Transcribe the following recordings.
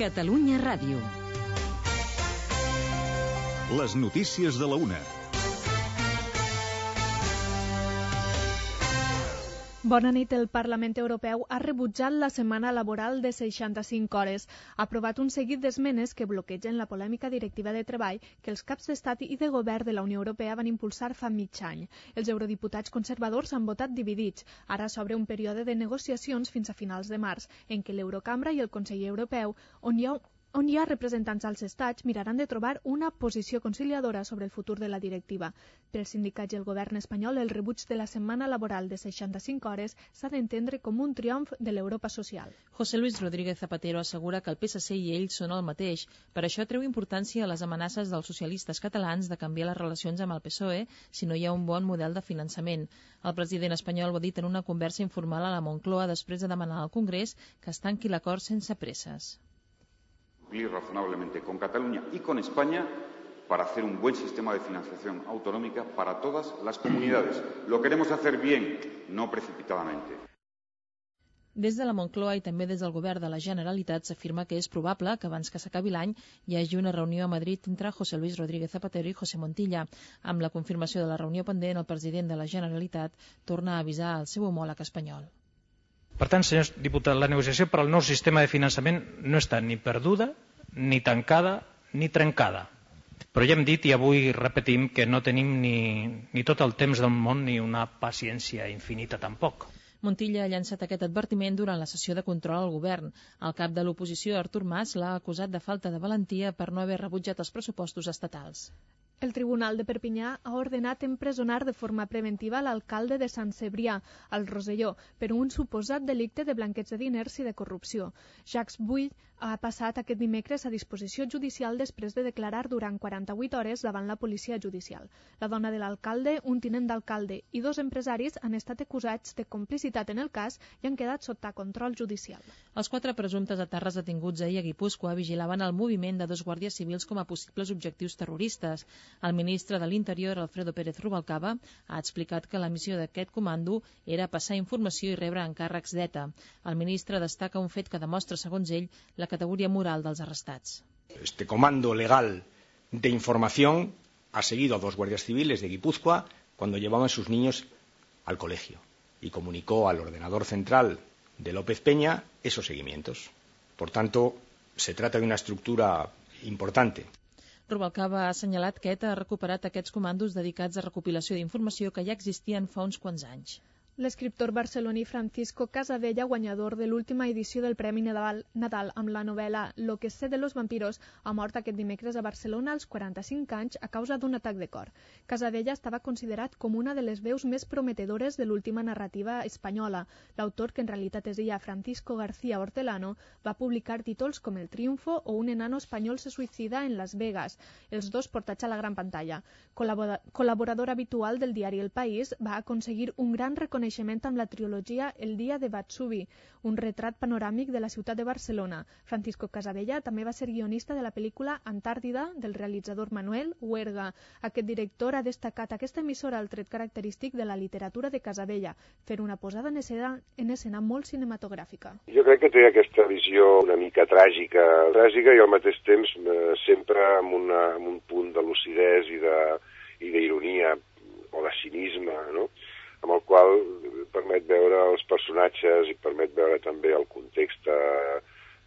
Catalunya Ràdio. Les notícies de la una. Bona nit. El Parlament Europeu ha rebutjat la setmana laboral de 65 hores. Ha aprovat un seguit d'esmenes que bloquegen la polèmica directiva de treball que els caps d'estat i de govern de la Unió Europea van impulsar fa mig any. Els eurodiputats conservadors han votat dividits. Ara s'obre un període de negociacions fins a finals de març, en què l'Eurocambra i el Consell Europeu, on hi ha representants als estats, miraran de trobar una posició conciliadora sobre el futur de la directiva. Pels sindicats i el govern espanyol, el rebuig de la setmana laboral de 65 hores s'ha d'entendre com un triomf de l'Europa social. José Luis Rodríguez Zapatero assegura que el PSC i ell són el mateix. Per això treu importància a les amenaces dels socialistes catalans de canviar les relacions amb el PSOE si no hi ha un bon model de finançament. El president espanyol ho ha dit en una conversa informal a la Moncloa després de demanar al Congrés que es tanqui l'acord sense presses. Cumplir razonablemente con Cataluña y con España para hacer un buen sistema de financiación autonómica para todas las comunidades. Lo queremos hacer bien, no precipitadamente. Des de la Moncloa i també des del govern de la Generalitat s'afirma que és probable que abans que s'acabi l'any hi hagi una reunió a Madrid entre José Luis Rodríguez Zapatero i José Montilla. Amb la confirmació de la reunió pendent, el president de la Generalitat torna a avisar el seu homòleg espanyol. Per tant, senyors diputats, la negociació per al nou sistema de finançament no està ni perduda, ni tancada, ni trencada. Però ja hem dit i avui repetim que no tenim ni tot el temps del món ni una paciència infinita tampoc. Montilla ha llançat aquest advertiment durant la sessió de control al govern. El cap de l'oposició, Artur Mas, l'ha acusat de falta de valentia per no haver rebutjat els pressupostos estatals. El Tribunal de Perpinyà ha ordenat empresonar de forma preventiva l'alcalde de Sant Cebrià, al Rosselló, per un suposat delicte de blanqueig de diners i de corrupció. Jacques Bull ha passat aquest dimecres a disposició judicial després de declarar durant 48 hores davant la policia judicial. La dona de l'alcalde, un tinent d'alcalde i 2 empresaris han estat acusats de complicitat en el cas i han quedat sota control judicial. Els 4 presumptes etarres detinguts ahir a Guipúscoa vigilaven el moviment de 2 guàrdies civils com a possibles objectius terroristes. El ministre de l'Interior, Alfredo Pérez Rubalcaba, ha explicat que la missió d'aquest comando era passar informació i rebre encàrrecs d'ETA. El ministre destaca un fet que demostra, segons ell, la categoría moral dels arrestats. Este comando legal de información ha seguido a 2 guardias civiles de Guipúzcoa cuando llevaban sus niños al colegio y comunicó al ordenador central de López Peña esos seguimientos. Por tanto, se trata de una estructura importante. Rubalcaba ha assenyalat que ETA ha recuperat aquests comandos dedicats a recopilació d'informació que ja existien fa uns quants anys. L'escriptor barceloní Francisco Casabella, guanyador de l'última edició del Premi Nadal amb la novel·la Lo que sé de los vampiros, ha mort aquest dimecres a Barcelona als 45 anys a causa d'un atac de cor. Casabella estava considerat com una de les veus més prometedores de l'última narrativa espanyola. L'autor, que en realitat es deia Francisco García Hortelano, va publicar títols com El triunfo o Un enano espanyol se suïcida en Las Vegas, els 2 portats a la gran pantalla. Col·laborador habitual del diari El País, va aconseguir un gran reconeixement amb la trilogia El dia de Batsubi, un retrat panoràmic de la ciutat de Barcelona. Francisco Casabella també va ser guionista de la pel·lícula Antàrtida del realitzador Manuel Huerga. Aquest director ha destacat aquesta emissora el tret característic de la literatura de Casabella, fer una posada en escena molt cinematogràfica. Jo crec que té aquesta visió una mica tràgica i al mateix temps sempre amb un punt de lucidesa i d'ironia o de cinisme, no? Amb el qual permet veure els personatges i permet veure també el context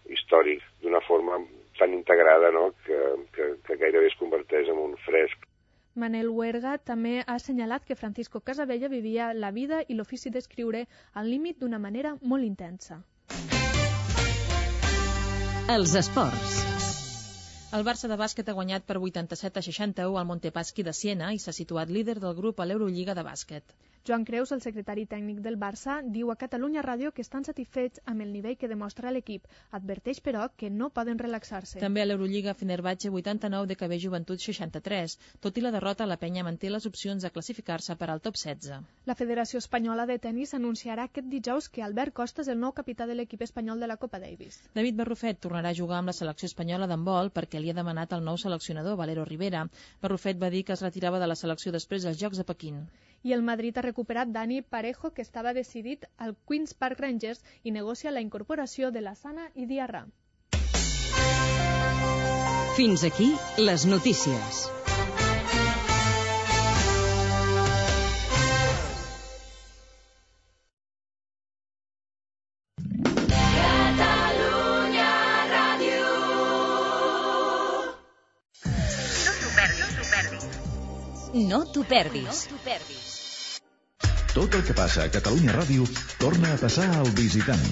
històric d'una forma tan integrada, no? que gairebé es converteix en un fresc. Manuel Huerga també ha assenyalat que Francisco Casabella vivia la vida i l'ofici d'escriure al límit d'una manera molt intensa. Els esports. El Barça de bàsquet ha guanyat per 87-61 al Montepaschi de Siena i s'ha situat líder del grup a l'Eurolliga de bàsquet. Joan Creus, el secretari tècnic del Barça, diu a Catalunya Ràdio que estan satisfets amb el nivell que demostra l'equip. Adverteix, però, que no poden relaxar-se. També a l'Eurolliga, Fenerbahçe 89, DKB Joventut 63. Tot i la derrota, la penya manté les opcions de classificar-se per al top 16. La Federació Espanyola de Tenis anunciarà aquest dijous que Albert Costa és el nou capità de l'equip espanyol de la Copa Davis. David Barrufet tornarà a jugar amb la selecció espanyola d'handbol perquè li ha demanat el nou seleccionador, Valero Rivera. Barrufet va dir que es retirava de la selecció després dels Jocs de Pequín. I el Madrid ha recuperat Dani Parejo, que estava decidit al Queen's Park Rangers, i negocia la incorporació de Lassana i Diarra. Fins aquí les notícies. No t'ho perdis. Tot el que passa a Catalunya Ràdio torna a passar al Visitant.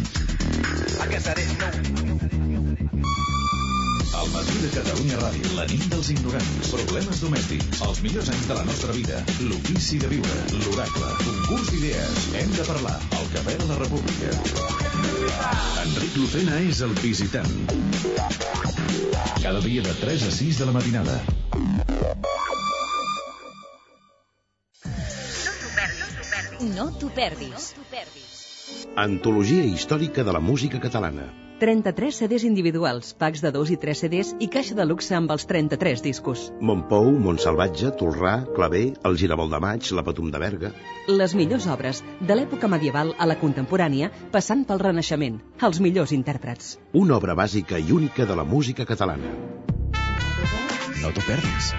El matí de Catalunya Ràdio, la nit dels ignorants, problemes domèstics, els millors anys de la nostra vida, l'ofici de viure, l'oracle, concurs d'idees, hem de parlar, el cafè de la República. Enric Lucena és el Visitant. Cada dia de 3 a 6 de la matinada. No t'ho perdis. Antologia històrica de la música catalana. 33 CDs individuals, packs de 2 i 3 CDs i caixa de luxe amb els 33 discos. Montpou, Montsalvatge, Tolrà, Clavé, el Giravolt de Maig, la Patum de Berga. Les millors obres, de l'època medieval a la contemporània, passant pel Renaixement. Els millors intèrprets. Una obra bàsica i única de la música catalana. No t'ho perdis.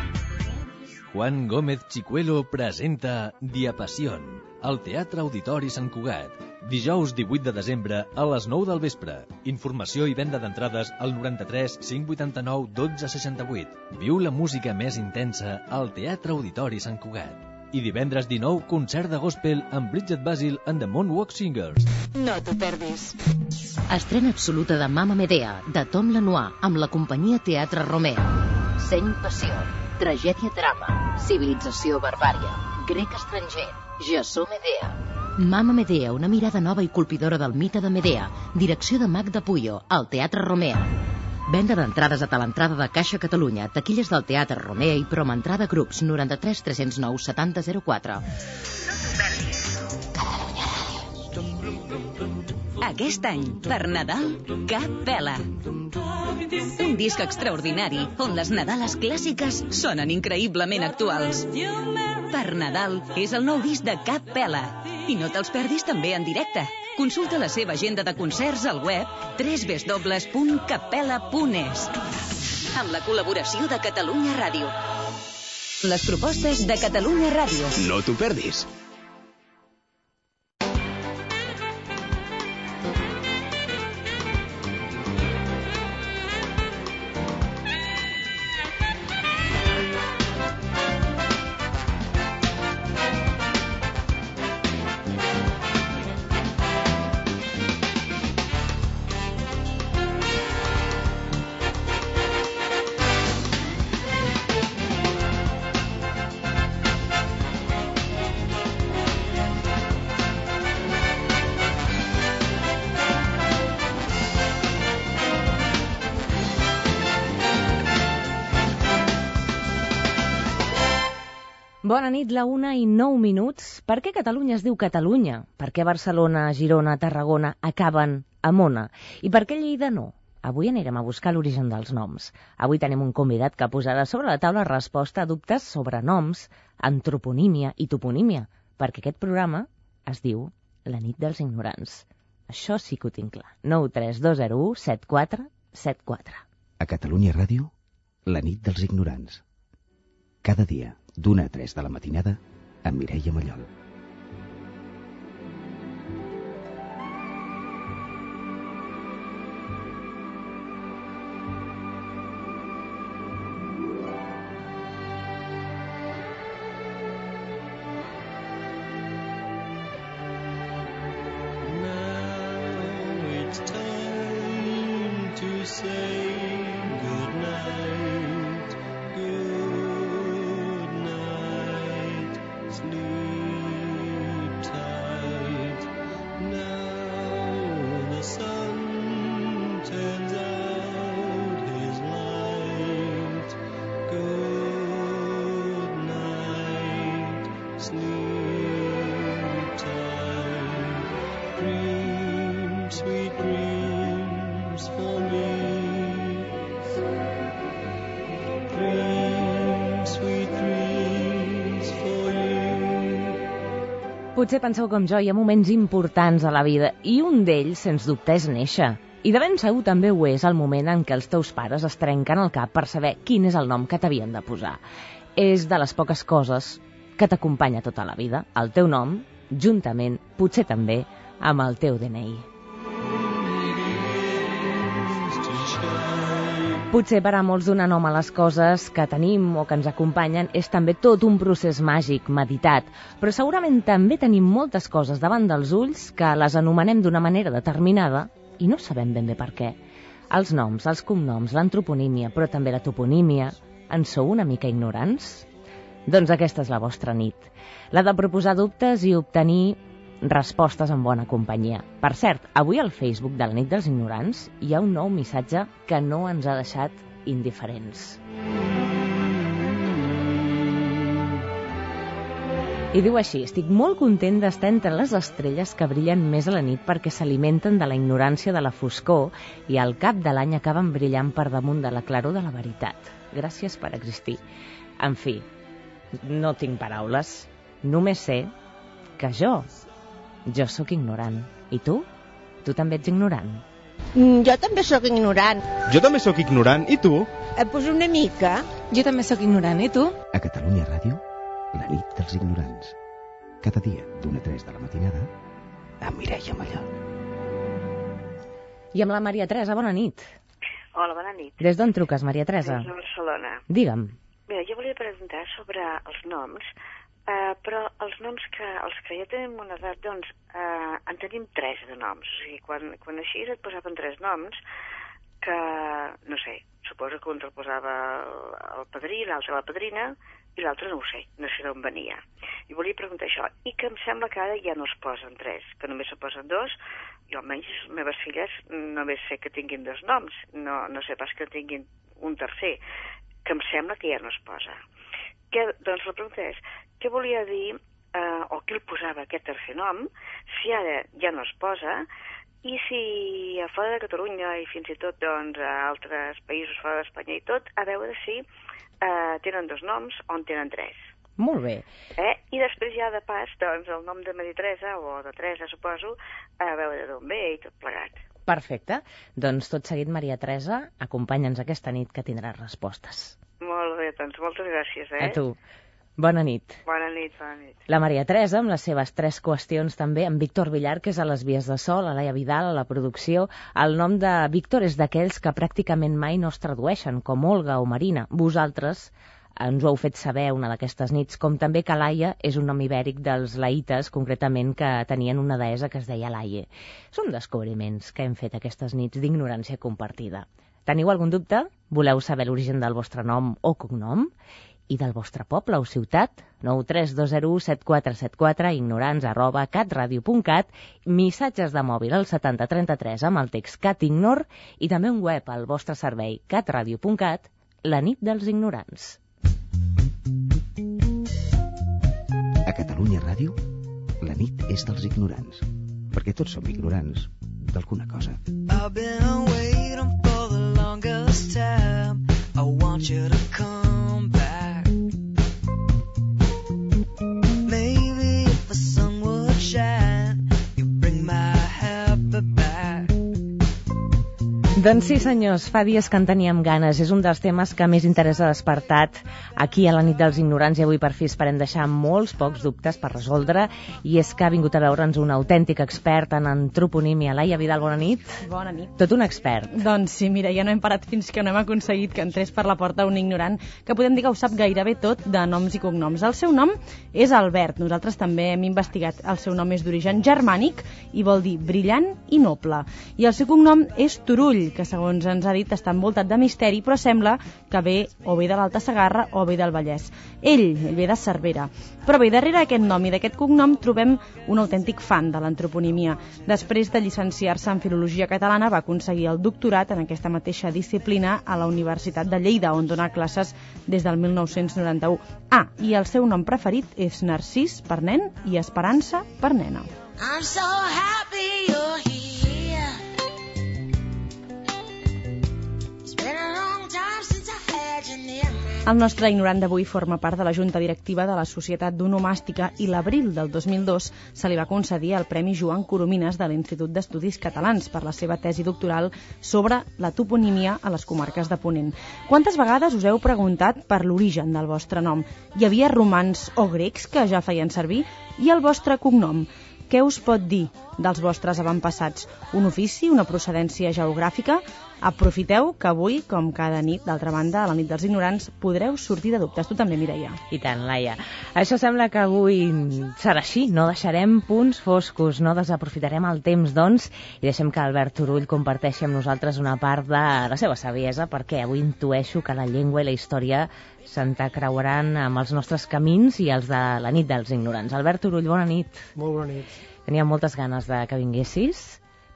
Juan Gómez Chicuelo presenta Diapassion al Teatre Auditori Sant Cugat. Dijous 18 de desembre a les 9 del vespre. Informació i venda d'entrades al 93 589 12 68. Viu la música més intensa al Teatre Auditori Sant Cugat. I divendres 19, concert de gospel amb Bridget Basil and the Moonwalk Singers. No t'ho perdis. Estrena absoluta de Mamma Medea, de Tom Lenoir, amb la companyia Teatre Romea. Seny Passió, tragèdia-drama, civilització barbària, grec estranger, Jasó Medea. Mamma Medea, una mirada nova i colpidora del mite de Medea. Direcció de Magda Puyo, al Teatre Romea. Venda d'entrades a talentrada de Caixa Catalunya, taquilles del Teatre Romea i promentrada grups 93 309 70 04. Aquest any, per Nadal, Cap Pela. Un disc extraordinari on les Nadales clàssiques sonen increïblement actuals. Per Nadal és el nou disc de Cap Pela. I no te'ls perdis també en directe. Consulta la seva agenda de concerts al web www.cappela.es amb la col·laboració de Catalunya Ràdio. Les propostes de Catalunya Ràdio. No t'ho perdis. Bona nit, la 1:09. Per què Catalunya es diu Catalunya? Per què Barcelona, Girona, Tarragona acaben amb Ona? I per què Lleida no? Avui anirem a buscar l'origen dels noms. Avui tenim un convidat que posarà sobre la taula resposta a dubtes sobre noms, antroponímia i toponímia, perquè aquest programa es diu La nit dels ignorants. Això sí que ho tinc clar. 93201 7474. A Catalunya Ràdio, La nit dels ignorants. Cada dia, d'1 a 3 de la matinada, amb Mireia Mallol. Potser penseu com jo, hi ha moments importants a la vida i un d'ells, sens dubte, és néixer. I de ben segur també ho és el moment en què els teus pares es trenquen el cap per saber quin és el nom que t'havien de posar. És de les poques coses que t'acompanya tota la vida, el teu nom, juntament, potser també, amb el teu DNI. Potser per a molts donar nom a les coses que tenim o que ens acompanyen és també tot un procés màgic, meditat, però segurament també tenim moltes coses davant dels ulls que les anomenem d'una manera determinada i no sabem ben bé per què. Els noms, els cognoms, l'antroponímia, però també la toponímia, en sou una mica ignorants? Doncs aquesta és la vostra nit, la de proposar dubtes i obtenir respostes en bona companyia. Per cert, avui al Facebook de la nit dels ignorants hi ha un nou missatge que no ens ha deixat indiferents. I diu així: estic molt content d'estar entre les estrelles que brillen més a la nit perquè s'alimenten de la ignorància de la foscor i al cap de l'any acaben brillant per damunt de la claror de la veritat. Gràcies per existir. En fi, no tinc paraules. Només sé que jo sóc ignorant. I tu? Tu també ets ignorant? Jo també sóc ignorant. Jo també sóc ignorant. I tu? Pues una mica. Jo també sóc ignorant. I tu? A Catalunya Ràdio, la nit dels ignorants. Cada dia, d'1 a 3 de la matinada, amb Mireia Mallol. I amb la Maria Teresa, bona nit. Hola, bona nit. Des d'on truques, Maria Teresa? Des de Barcelona. Digue'm. Mira, jo volia preguntar sobre els noms, però els noms els que ja tenim una edat, doncs, en tenim 3 de noms. O sigui, quan així et posaven 3 noms, que, no sé, suposo que un te'l posava el padrí, l'altre la padrina, i l'altre no ho sé, no sé d'on venia. I volia preguntar això, i que em sembla que ara ja no es posen 3, que només se posen 2, i almenys les meves filles només sé que tinguin 2 noms, no sé pas que tinguin un tercer, que em sembla que ja no es posa. Doncs la pregunta és, què volia dir, o què el posava aquest tercer nom, si ara ja no es posa, i si a fora de Catalunya i fins i tot doncs, a altres països fora d'Espanya i tot, a veure si tenen 2 noms o en tenen 3. Molt bé. I després ja de pas, doncs, el nom de Maria Teresa, o de Teresa, suposo, a veure d'on ve i tot plegat. Perfecte. Doncs tot seguit, Maria Teresa, acompanya'ns aquesta nit que tindràs respostes. Molt bé, doncs moltes gràcies. A tu. Bona nit. Bona nit, bona nit. La Maria Teresa, amb les seves 3 qüestions també, amb Víctor Villar, que és a les vies de so, la Laia Vidal, a la producció. El nom de Víctor és d'aquells que pràcticament mai no es tradueixen, com Olga o Marina. Vosaltres ens ho heu fet saber una d'aquestes nits, com també que Laia és un nom ibèric dels laïtes, concretament que tenien una deessa que es deia Laie. Són descobriments que hem fet aquestes nits d'ignorància compartida. Teniu algun dubte? Voleu saber l'origen del vostre nom o cognom? I del vostre poble o ciutat? 932017474, ignorants@catradio.cat, missatges de mòbil al 7033 amb el text CatIgnor i també un web al vostre servei catradio.cat, la nit dels ignorants. A Catalunya Ràdio, la nit és dels ignorants, perquè tots som ignorants d'alguna cosa. I've been waiting for the longest time. I want you to come back. Maybe if the sun would shine, you'd bring my happy back. Doncs sí, senyors, fa dies que en teníem ganes. És un dels temes que més interès ha despertat aquí a la nit dels ignorants i avui per fi esperem deixar molts pocs dubtes per resoldre. I és que ha vingut a veure'ns un autèntic expert en antroponímia. Laia Vidal, bona nit. Bona nit. Tot un expert. Doncs sí, mira, ja no hem parat fins que no hem aconseguit que entrés per la porta un ignorant que podem dir que ho sap gairebé tot de noms i cognoms. El seu nom és Albert. Nosaltres també hem investigat. El seu nom és d'origen germànic i vol dir brillant i noble. I el seu cognom és Turull, que segons ens ha dit està envoltat de misteri, però sembla que ve o bé de l'Alta Segarra o bé del Vallès. Ell ve de Cervera. Però bé, darrere d'aquest nom i d'aquest cognom trobem un autèntic fan de l'antroponímia. Després de llicenciar-se en Filologia Catalana va aconseguir el doctorat en aquesta mateixa disciplina a la Universitat de Lleida, on dona classes des del 1991. I el seu nom preferit és Narcís per nen i Esperança per nena. I'm so happy you're here. It's been a long time since I had you near me. El nostre ignorant d'avui forma part de la junta directiva de la Societat d'Onomàstica i l'abril del 2002 se li va concedir el Premi Joan Coromines de l'Institut d'Estudis Catalans per la seva tesi doctoral sobre la toponímia a les comarques de Ponent. Quantes vegades us heu preguntat per l'origen del vostre nom? Hi havia romans o grecs que ja feien servir? I el vostre cognom? Què us pot dir dels vostres avantpassats? Un ofici, una procedència geogràfica? Aprofiteu que avui, com cada nit, d'altra banda, a la nit dels ignorants, podreu sortir de dubtes. Tu també, Mireia. I tant, Laia. Això sembla que avui serà així. No deixarem punts foscos, no desaprofitarem el temps, doncs, i deixem que Albert Turull comparteixi amb nosaltres una part de la seva saviesa, perquè avui intueixo que la llengua i la història s'entrecreuaran amb els nostres camins i els de la nit dels ignorants. Albert Turull, bona nit. Molt bona nit. Tenia moltes ganes de que vinguessis.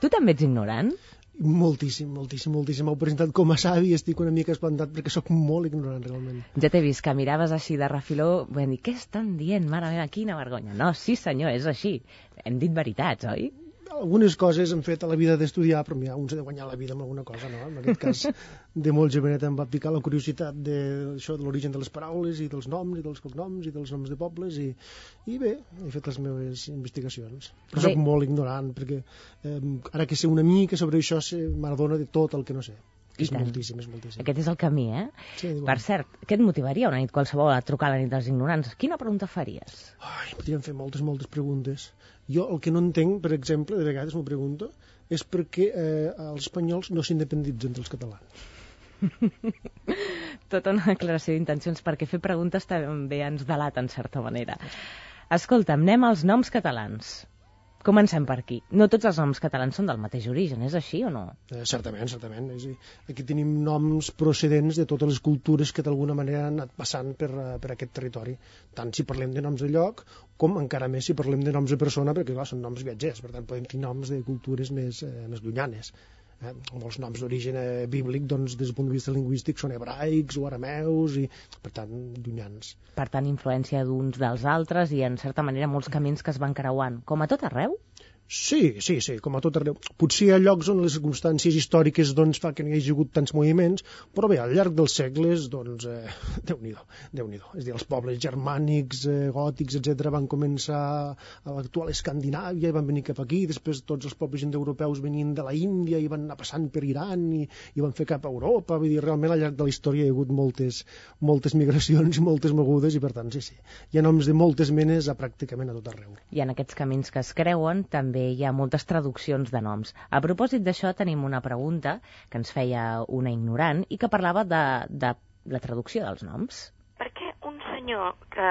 Tu també ets ignorant? Moltíssim. M'heu presentat com a savi i estic una mica espantat perquè sóc molt ignorant, realment. Ja t'he vist que miraves així de refiló, vam dir, què estan dient? Mare meva, quina vergonya. No, sí senyor, és així. Hem dit veritats, oi? Algunes coses hem fet a la vida d'estudiar, però mira, un s'ha de guanyar la vida amb alguna cosa, no? En aquest cas, de molt jovenet em va picar la curiositat de l'origen de les paraules i dels noms i dels cognoms i dels noms de pobles i bé, he fet les meves investigacions. Però soc molt ignorant perquè ara que sé una mica sobre això m'adona de tot el que no sé. És moltíssim. Aquest és el camí, eh? Sí, per cert, què et motivaria una nit qualsevol a trucar a la nit dels ignorants? Quina pregunta faries? Podríem fer moltes preguntes. Jo el que no entenc, per exemple, de vegades m'ho pregunto, és per què els espanyols no s'independitzen dels catalans. Tota una declaració d'intencions, perquè fer preguntes també ens delata, en certa manera. Escolta'm, anem als noms catalans. Comencem per aquí. No tots els noms catalans són del mateix origen, és així o no? Certament. Aquí tenim noms procedents de totes les cultures que d'alguna manera han anat passant per aquest territori. Tant si parlem de noms de lloc, com encara més si parlem de noms de persona, perquè clar, són noms viatgers, per tant podem tenir noms de cultures més llunyanes. Molts noms d'origen bíblic, doncs, des del punt de vista lingüístic, són hebraics o arameus, i per tant, llunyans. Per tant, influència d'uns dels altres i, en certa manera, molts camins que es van creuant. Com a tot arreu? Sí, com a tot arreu. Potser hi ha llocs on les circumstàncies històriques doncs, fa que n'hi hagi hagut tants moviments, però bé, al llarg dels segles, doncs, Déu-n'hi-do. És a dir, els pobles germànics, gòtics, etc., van començar a l'actual Escandinàvia i van venir cap aquí, després tots els pobles indoeuropeus venien de la Índia i van anar passant per Iran i van fer cap a Europa. Vull dir, realment al llarg de la història hi ha hagut moltes migracions i moltes mogudes i per tant, sí. Hi ha noms de moltes menes pràcticament a tot arreu. I en aquests camins que es creuen també hi ha moltes traduccions de noms. A propòsit d'això tenim una pregunta que ens feia una ignorant i que parlava de la traducció dels noms. Per què un senyor que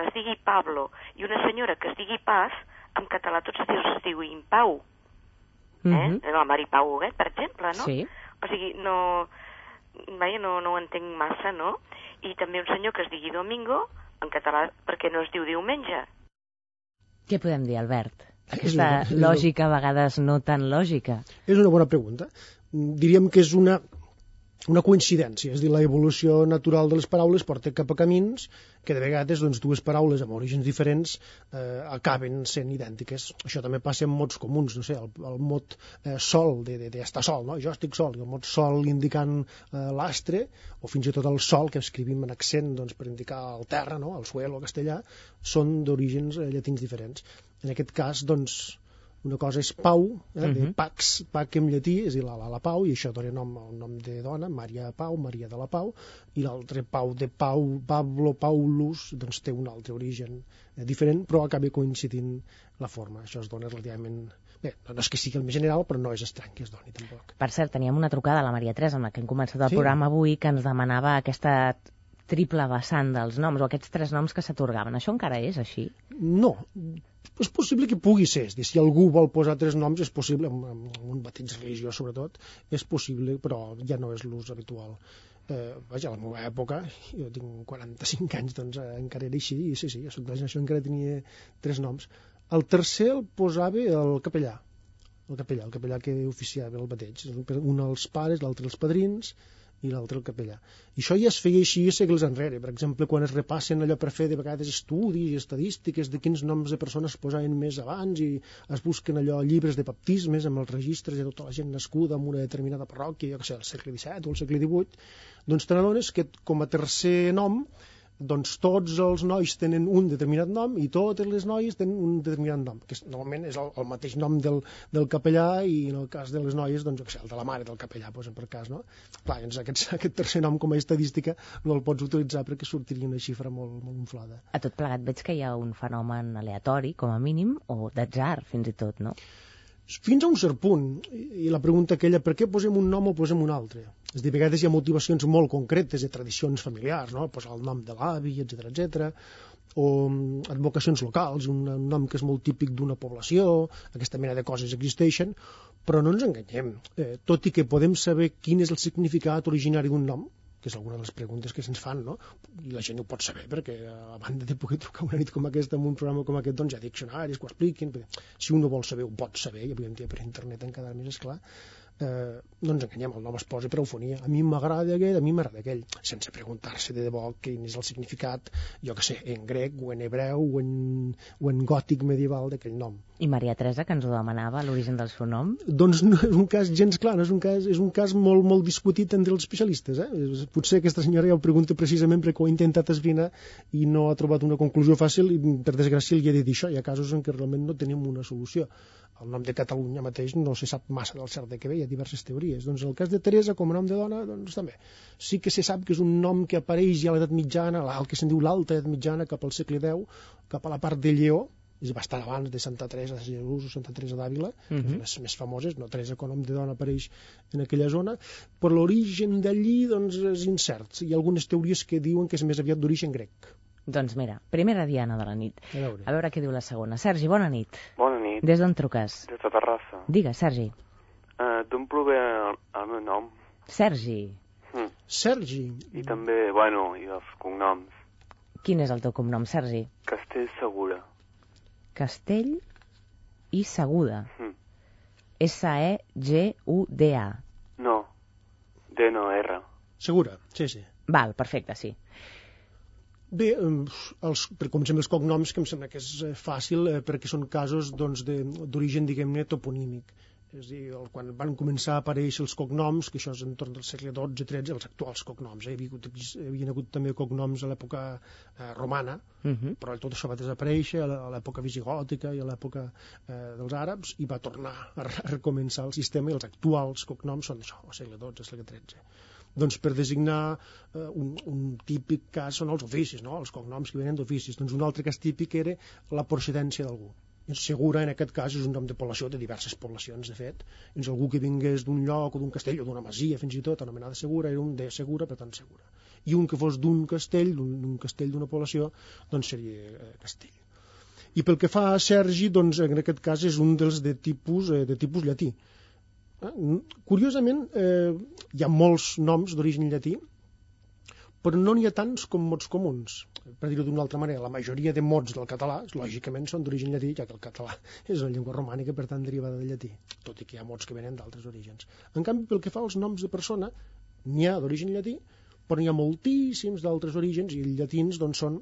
es digui Pablo i una senyora que es digui Paz, en català tots es diuen Pau? La Mari Pau Huguet, per exemple, no? Sí. O sigui, no ho entenc massa, no? I també un senyor que es digui Domingo, en català, per què no es diu diumenge? Què podem dir, Albert? Aquesta lògica, a vegades no tan lògica. És una bona pregunta. Diríem que és una coincidència, és a dir, l'evolució natural de les paraules porta cap a camins que de vegades doncs, dues paraules amb orígens diferents acaben sent idèntiques. Això també passa amb mots comuns, no sé, el mot sol, d'estar sol, no? Jo estic sol, i el mot sol indicant l'astre, o fins i tot el sol, que escrivim en accent doncs, per indicar el terra, no? El suelo, el castellà, són d'orígens llatins diferents. En aquest cas, doncs, una cosa és Pau, de Pax, Pac en llatí, és a dir, la Pau, i això dona nom al nom de dona, Maria Pau, Maria de la Pau, i l'altre Pau de Pau, Pablo, Paulus, doncs té un altre origen diferent, però acaba coincidint la forma. Això es dona relativament... Bé, no és que sigui el més general, però no és estrany que es doni, tampoc. Per cert, teníem una trucada a la Maria Teresa, amb la que hem començat el programa avui, que ens demanava aquesta triple vessant dels noms, o aquests 3 noms que s'atorgaven. Això encara és així? No, és possible que pugui ser. És dir, si algú vol posar 3 noms, és possible, amb un bateig religiós sobretot, és possible, però ja no és l'ús habitual. Vaja, a la meva època, jo tinc 45 anys, doncs encara era així, i sí, jo soc de la generació encara tenia 3 noms. El tercer el posava el capellà. El capellà que oficiava el bateig. Un als pares, l'altre als padrins, i l'altre el capellà. I això ja es feia així segles enrere. Per exemple, quan es repassen allò per fer de vegades estudis i estadístiques de quins noms de persones posaven més abans i es busquen allò llibres de baptismes amb els registres de tota la gent nascuda en una determinada parròquia, jo que sé, al segle XVII o al segle XVIII, doncs te n'adones que com a tercer nom doncs tots els nois tenen un determinat nom i totes les noies tenen un determinat nom, que normalment és el mateix nom del capellà, i en el cas de les noies, doncs, el de la mare del capellà, doncs, per cas, no? Clar, doncs aquest tercer nom com a estadística no el pots utilitzar perquè sortiria una xifra molt, molt inflada. A tot plegat veig que hi ha un fenomen aleatori, com a mínim, o d'atzar, fins i tot, no? Fins a un cert punt, i la pregunta aquella, per què posem un nom o posem un altre? És a dir, a vegades hi ha motivacions molt concretes de tradicions familiars, no? Posar el nom de l'avi, etc, o advocacions locals, un nom que és molt típic d'una població, aquesta mena de coses existeixen, però no ens enganyem. Tot i que podem saber quin és el significat originari d'un nom, que és alguna de les preguntes que se'ns fan, no? I la gent ho pot saber, perquè a banda de poder trucar una nit com aquesta en un programa com aquest, doncs hi ha diccionaris que ho expliquin. Si un ho vol saber, ho pot saber, i avui en dia per internet encara més, esclar. No ens enganyem, el nom es posa per eufonia. A mi m'agrada aquest, a mi m'agrada aquell, sense preguntar-se de debò quin és el significat, jo que sé, en grec o en hebreu o en gòtic medieval d'aquell nom. I Maria Teresa, que ens ho demanava, l'origen del seu nom? Doncs no és un cas gens clar, és un cas molt, molt discutit entre els especialistes. Potser aquesta senyora ja ho pregunta precisament perquè ho ha intentat esbrinar i no ha trobat una conclusió fàcil, i per desgràcia li he de dir això. Hi ha casos en què realment no tenim una solució. El nom de Catalunya mateix no se sap massa del cert de què ve, hi ha diverses teories. Doncs en el cas de Teresa, com a nom de dona, doncs també. Sí que se sap que és un nom que apareix ja a l'edat mitjana, el que se'n diu l'alta edat mitjana, cap al segle X, cap a la part de Lleó, és bastant abans de Santa Teresa de Jesús o Santa Teresa d'Àvila, les més famoses, no? Teresa com a nom de dona apareix en aquella zona, però l'origen d'allí doncs, és incert. Hi ha algunes teories que diuen que és més aviat d'origen grec. Doncs mira, primera diana de la nit. A veure què diu la segona. Sergi, bona nit. Bona nit. Des d'on truques? Des de Terrassa. Digues, Sergi. D'on prové el meu nom? Sergi. Sergi. I també, bueno, i els cognoms. Quin és el teu cognom, Sergi? Castell Segura. Castell i Seguda. S-E-G-U-D-A. No, D no, R. Segura, sí, sí. Val, perfecte, sí. Bé, com sempre els cognoms, que em sembla que és fàcil perquè són casos d'origen, diguem-ne, toponímic. És a dir, quan van començar a aparèixer els cognoms, que això és entorn del segle XII-XIII, els actuals cognoms, havien hagut també cognoms a l'època romana, però tot això va desaparèixer a l'època visigòtica i a l'època dels àrabs, i va tornar a recomençar el sistema, i els actuals cognoms són això, al segle XII, al segle XIII. Doncs per designar un típic cas són els oficis, no? Els cognoms que venen d'oficis. Doncs un altre cas típic era la procedència d'algú. Segura, en aquest cas, és un nom de població, de diverses poblacions, de fet. Doncs algú que vingués d'un lloc o d'un castell o d'una masia, fins i tot, anomenada Segura, era un de Segura, per tant, Segura. I un que fos d'un castell d'una població, doncs seria Castell. I pel que fa a Sergi, doncs, en aquest cas és un dels de tipus llatí. Curiosament, hi ha molts noms d'origen llatí, però no n'hi ha tants com mots comuns. Per dir-ho d'una altra manera, la majoria de mots del català, lògicament, són d'origen llatí, ja que el català és una llengua romànica, per tant, derivada del llatí, tot i que hi ha mots que venen d'altres orígens. En canvi, pel que fa als noms de persona, n'hi ha d'origen llatí, però n'hi ha moltíssims d'altres orígens, i els llatins doncs, són,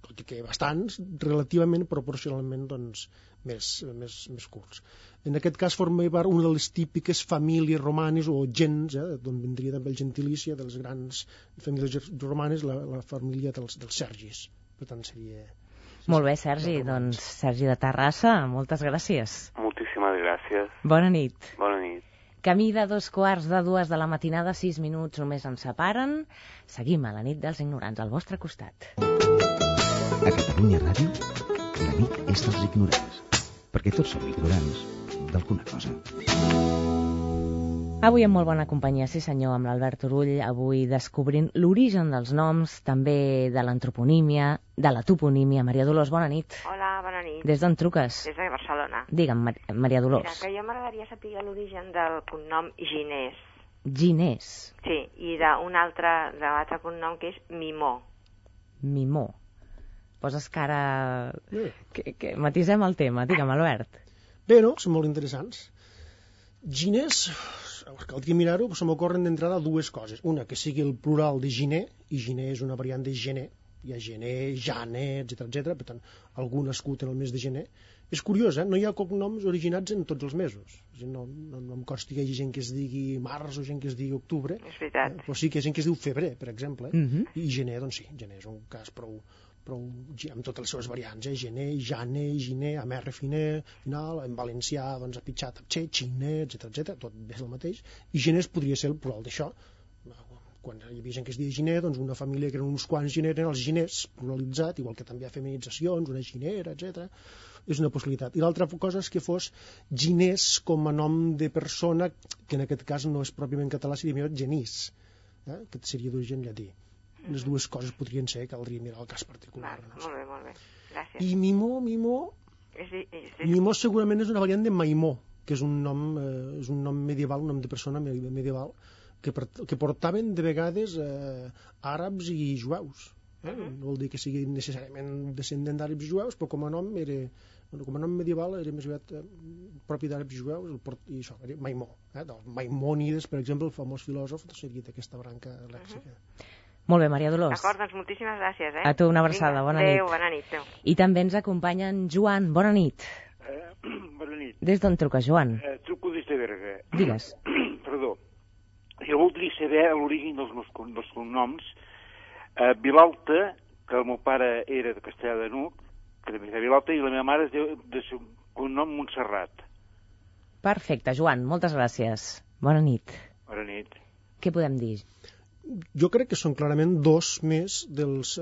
tot i que bastants, relativament, proporcionalment, doncs, més curts. En aquest cas forma part una de les típiques famílies romanes o gens, d'on vindria també el gentilici de les grans famílies romanes, la família dels Sergis. Per tant, seria... Molt bé, Sergi. Doncs Sergi de Terrassa, moltes gràcies. Moltíssimes gràcies. Bona nit. Bona nit. Camí de 2:15 de la matinada, 6 minuts només ens separen. Seguim a la nit dels ignorants, al vostre costat. A Catalunya Ràdio, la nit és dels ignorants, perquè tots som ignorants d'alguna cosa. Avui amb molt bona companyia, sí senyor, amb l'Albert Turull, avui descobrint l'origen dels noms, també de l'antroponímia, de la toponímia. Maria Dolors, bona nit. Hola, bona nit. Des d'on truques? Des de Barcelona. Digue'm, Maria Dolors. Mira, que jo m'agradaria saber l'origen del cognom Ginés. Ginés? Sí, i d'un altre cognom que és Mimó. Mimó. Poses cara... Que matisem el tema. Digue'm, Albert. Bé, no? Són molt interessants. Ginés caldria mirar-ho, se m'ocorren d'entrada dues coses. Una, que sigui el plural de gener, i gener és una variant de gener, hi ha gener, jane, etc. Per tant, algú nascut en el mes de gener. És curiós, no hi ha cognoms originats en tots els mesos. No em consta que hi hagi gent que es digui març o gent que es digui octubre. És veritat. Però sí que hi ha gent que es diu febrer, per exemple. I gener, doncs sí, gener és un cas prou amb totes les seves variants, gener, jane, giner, amb R final, en valencià, doncs apitxat, apxe, xine, etc. Tot és el mateix. I gener podria ser el plural d'això. Quan hi havia gent que es deia giner, doncs una família que eren uns quants giners, eren els giners, pluralitzat, igual que també hi ha feminitzacions, una ginera, etc. És una possibilitat. I l'altra cosa és que fos giners com a nom de persona, que en aquest cas no és pròpiament català, seria millor genís, que seria d'origen llatí. Les dues coses podrien ser, caldria mirar el cas particular. Molt bé. Gràcies. I Mimó segurament és una variant de Maimó, que és un nom medieval, un nom de persona medieval, que portaven de vegades àrabs i jueus. No vol dir que sigui necessàriament descendent d'àrabs i jueus, però com a nom medieval era més aviat propi d'àrabs i jueus, i això, era Maimó. Maimònides, per exemple, el famós filòsof, seria d'aquesta branca lèxica. Molt bé, Maria Dolors. D'acord, doncs moltíssimes gràcies. A tu una abraçada, bona nit. Adéu, bona nit. I també ens acompanya en Joan, bona nit. Bona nit. Des d'on truques, Joan? Truco des de Berga. Digues. Perdó. Jo voldria saber l'origen dels meus cognoms. Vilalta, que el meu pare era de Castellà de n'Hug, que també era Vilalta, i la meva mare es diu de seu cognom Montserrat. Perfecte, Joan, moltes gràcies. Bona nit. Bona nit. Què podem dir? Jo crec que són clarament dos més dels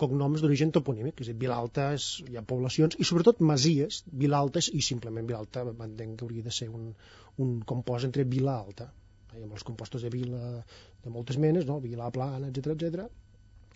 cognoms d'origen toponímic, és a dir, Vilalta hi ha poblacions, i sobretot masies, Vilalta i simplement Vilalta, entenc que hauria de ser un compost entre vila alta, amb els compostos de vila de moltes menes, no? Vila plana, etc.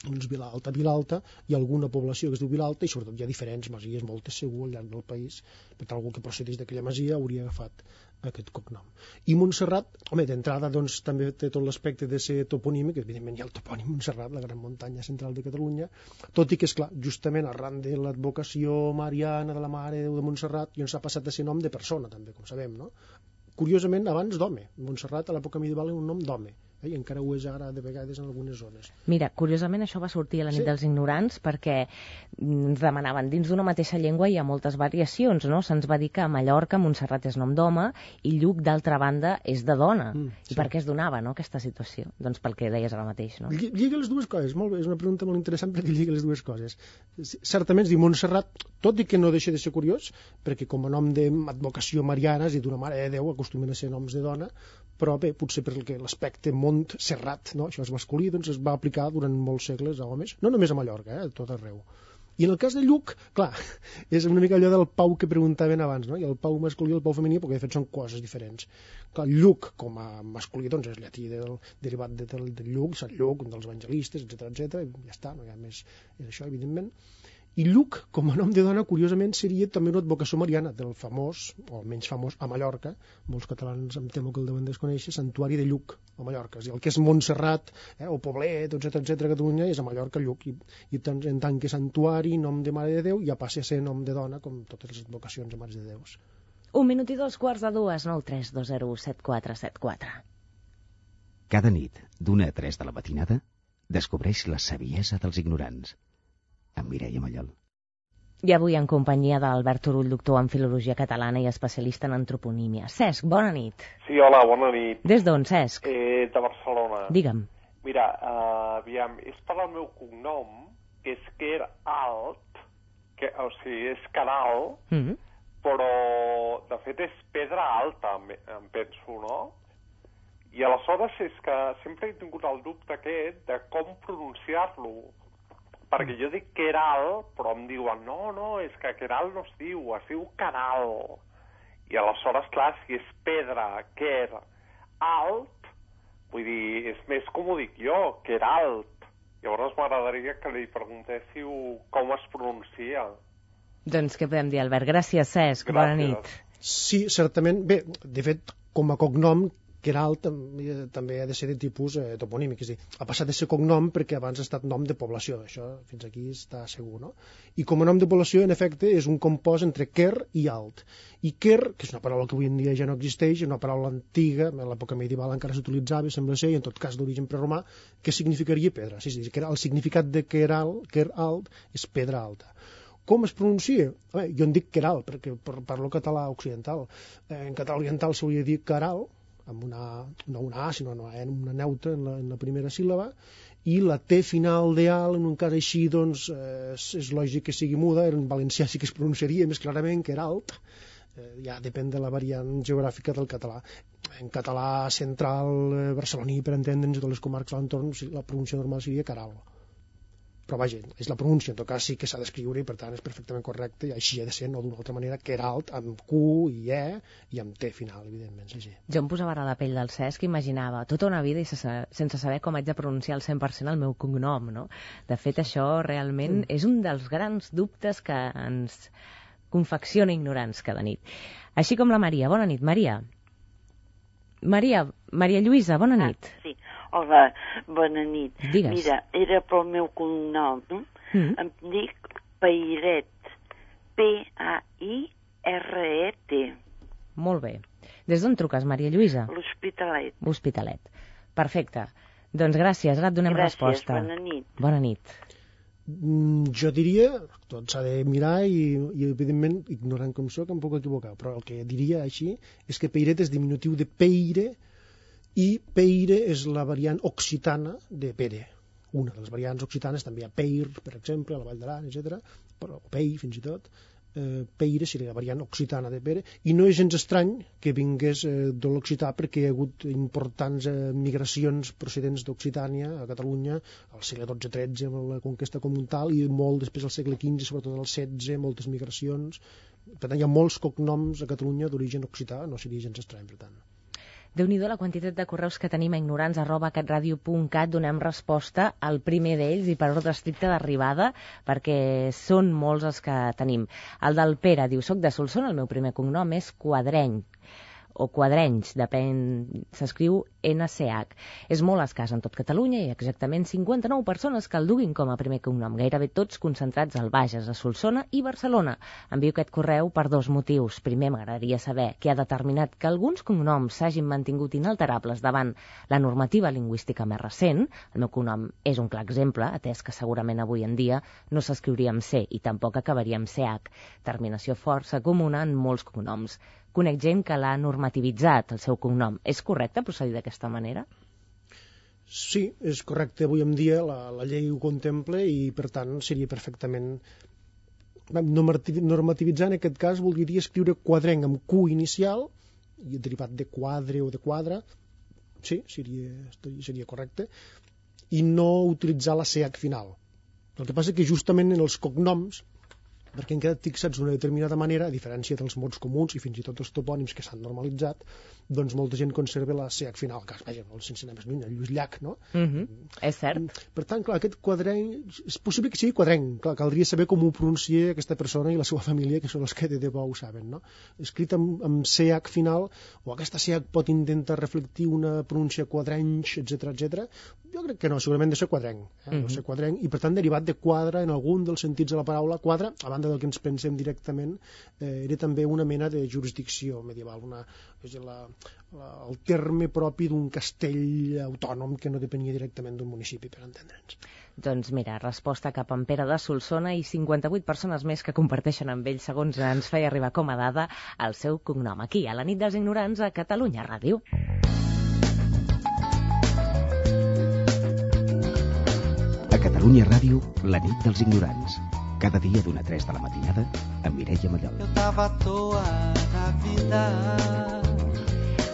Doncs Vilalta, hi ha alguna població que es diu Vilalta, i sobretot hi ha diferents masies, moltes segur al llarg del país, per tant algú que procedeix d'aquella masia hauria agafat aquest cognom. I Montserrat, home, d'entrada doncs també té tot l'aspecte de ser toponímic, evidentment hi ha el topònim Montserrat, la gran muntanya central de Catalunya, tot i que, esclar, justament arran de l'advocació mariana de la Mare de Déu de Montserrat, doncs s'ha passat a ser nom de persona, també, com sabem, no? Curiosament, abans d'home. Montserrat a l'època medieval era un nom d'home, i encara ho és ara de vegades en algunes zones. Mira, curiosament això va sortir a la nit dels ignorants perquè ens demanaven, dins d'una mateixa llengua hi ha moltes variacions, no? Se'ns va dir que a Mallorca Montserrat és nom d'home i Lluc, d'altra banda, és de dona. I per què es donava, no, aquesta situació? Doncs pel que deies ara mateix, no? Lliga les dues coses, molt bé, és una pregunta molt interessant perquè lliga les dues coses. Certament es diu Montserrat, tot i que no deixa de ser curiós, perquè com a nom d'advocació mariana, és a dir, d'una Mare de Déu, acostumen a ser noms de dona, però bé, potser perquè l'aspecte Montserrat, no? Això és masculí, doncs es va aplicar durant molts segles a homes, no només a Mallorca, a tot arreu. I en el cas de Lluc, clar, és una mica allò del Pau que preguntaven abans, no? I el Pau masculí i el Pau femení, perquè de fet són coses diferents. Clar, Lluc, com a masculí, doncs és llatí derivat del Lluc, Sant Lluc, un dels evangelistes, etc. Ja està, no hi ha més, és això, evidentment. I Lluc, com a nom de dona, curiosament, seria també una advocació mariana del famós, o menys famós, a Mallorca, molts catalans em temo que el deuen desconèixer, Santuari de Lluc, a Mallorca. És a dir, el que és Montserrat, o Poblet, etc. a Catalunya, és a Mallorca, Lluc. I en tant que santuari, nom de Mare de Déu, ja passa a ser nom de dona, com totes les advocacions a Mares de Déus. 1 minut i 2:45, 9 3 2 0 7 4 7 4. Cada nit, d'1 a 3 de la matinada, descobreix la saviesa dels ignorants. Amb Mireia Mallol. I avui en companyia d'Albert Turull, doctor en Filologia Catalana i especialista en antroponímia. Cesc, bona nit. Sí, hola, bona nit. Des d'on, Cesc? De Barcelona. Digue'm. Mira, aviam, és per el meu cognom, que és Quer Alt, o sigui, és Canal, però de fet és Pedra Alta, em penso, no? I aleshores és que sempre he tingut el dubte aquest de com pronunciar-lo. Perquè jo dic Queral, però em diuen, no, és que Queral no es diu Canal. I aleshores, clar, si és pedra, Quer, alt, vull dir, és més com ho dic jo, Queralt. Llavors m'agradaria que li preguntéssiu com es pronuncia. Doncs què podem dir, Albert? Gràcies, Cesc. Bona nit. Sí, certament. Bé, de fet, com a cognom, Queralt també ha de ser de tipus toponímic, és a dir, ha passat de ser cognom perquè abans ha estat nom de població, això fins aquí està segur, no? I com a nom de població, en efecte, és un compost entre quer i alt. I quer, que és una paraula que avui en dia ja no existeix, és una paraula antiga, a l'època medieval encara s'utilitzava, sembla ser, i en tot cas d'origen preromà, que significaria pedra. Sí, el significat de quer alt és pedra alta. Com es pronuncia? Jo en dic queral, perquè parlo català occidental. En català oriental s'hauria de dir caral, amb no una A, sinó una neutra en la primera síl·laba, i la T final de al, en un cas així, doncs, és lògic que sigui muda, en valencià sí que es pronunciaria més clarament que era alt, ja depèn de la variant geogràfica del català. En català central barceloní, per entendre'ns, de les comarques a l'entorn, la pronúncia normal seria caral. Però vaja, és la pronúncia, en tot cas sí que s'ha d'escriure i per tant és perfectament correcte, i així ha de ser, no d'una altra manera, que era alt, amb Q i E i amb T final, evidentment. Sí. Jo em posava ara la pell del Cesc i imaginava tota una vida i sense saber com haig de pronunciar al 100% el meu cognom, no? De fet, això realment és un dels grans dubtes que ens confecciona ignorants cada nit. Així com la Maria. Bona nit, Maria. Maria Lluïsa, bona nit. Sí. Hola, bona nit. Digues. Mira, era pel meu cognom. Em dic Pairet. P-A-I-R-E-T. Molt bé. Des d'on truques, Maria Lluïsa? L'Hospitalet. L'Hospitalet. Perfecte. Doncs gràcies, ara et donem resposta. Gràcies, bona nit. Bona nit. Jo diria, tot s'ha de mirar i evidentment, ignorant com soc, em puc equivocar, però el que diria així és que Peiret és diminutiu de peire i peire és la variant occitana de pere. Una de les variants occitanes també hi ha peir, per exemple, a la Vall d'Aran, etc. Però pei, fins i tot. Peire seria la variant occitana de pere, i no és gens estrany que vingués de l'occità perquè hi ha hagut importants migracions procedents d'Occitània a Catalunya al segle XII-XIII amb la conquesta comtal i molt després al segle XV, sobretot al XVI, moltes migracions. Per tant, hi ha molts cognoms a Catalunya d'origen occità, no seria gens estrany, per tant. Déu-n'hi-do la quantitat de correus que tenim a ignorants@catradio.cat. Donem resposta al primer d'ells i per ordre estricte d'arribada, perquè són molts els que tenim. El del Pere diu: soc de Solsona, el meu primer cognom és Quadreny, o Quadrenys, depèn, s'escriu NCH. És molt escàs en tot Catalunya i exactament 59 persones que el duguin com a primer cognom, gairebé tots concentrats al Bages, a Solsona i Barcelona. Envio aquest correu per dos motius. Primer, m'agradaria saber què ha determinat que alguns cognoms s'hagin mantingut inalterables davant la normativa lingüística més recent. El meu cognom és un clar exemple, atès que segurament avui en dia no s'escriuria amb C i tampoc acabaria amb CH, terminació força comuna en molts cognoms. Conec gent que l'ha normativitzat, el seu cognom. És correcte procedir d'aquesta manera? Sí, és correcte. Avui en dia la llei ho contempla i, per tant, seria perfectament... Normativitzar, en aquest cas, voldria escriure quadrenc amb Q inicial, i derivat de quadre o de quadra, sí, seria correcte, i no utilitzar la CH final. El que passa és que justament en els cognoms, perquè han quedat fixats d'una determinada manera, a diferència dels mots comuns i fins i tot els topònims que s'han normalitzat, doncs molta gent conserva la CH final, que vaja, sense anar més lluny, el Lluís Llach, no? És cert. Per tant, clar, aquest quadrenc, és possible que sigui quadrenc, clar, caldria saber com ho pronuncia aquesta persona i la seva família, que són els que de debò ho saben, no? Escrit amb CH final, o aquesta CH pot intentar reflectir una pronúncia quadrenc, etc. Jo crec que no, segurament de ser quadrenc, no ser quadrenc, i per tant derivat de quadre en algun dels sentits de la paraula. Quadre, a banda del que ens pensem directament, era també una mena de jurisdicció medieval, el terme propi d'un castell autònom que no depenia directament d'un municipi, per entendre'ns. Doncs mira, resposta cap a en Pere de Solsona i 58 persones més que comparteixen amb ell, segons ens feia arribar com a dada, el seu cognom. Aquí, a la nit dels ignorants, a Catalunya Ràdio. A Catalunya Ràdio, la nit dels ignorants. Cada dia d'una a 3 de la matinada, amb Mireia Mallol. Eu tava à toa na vida.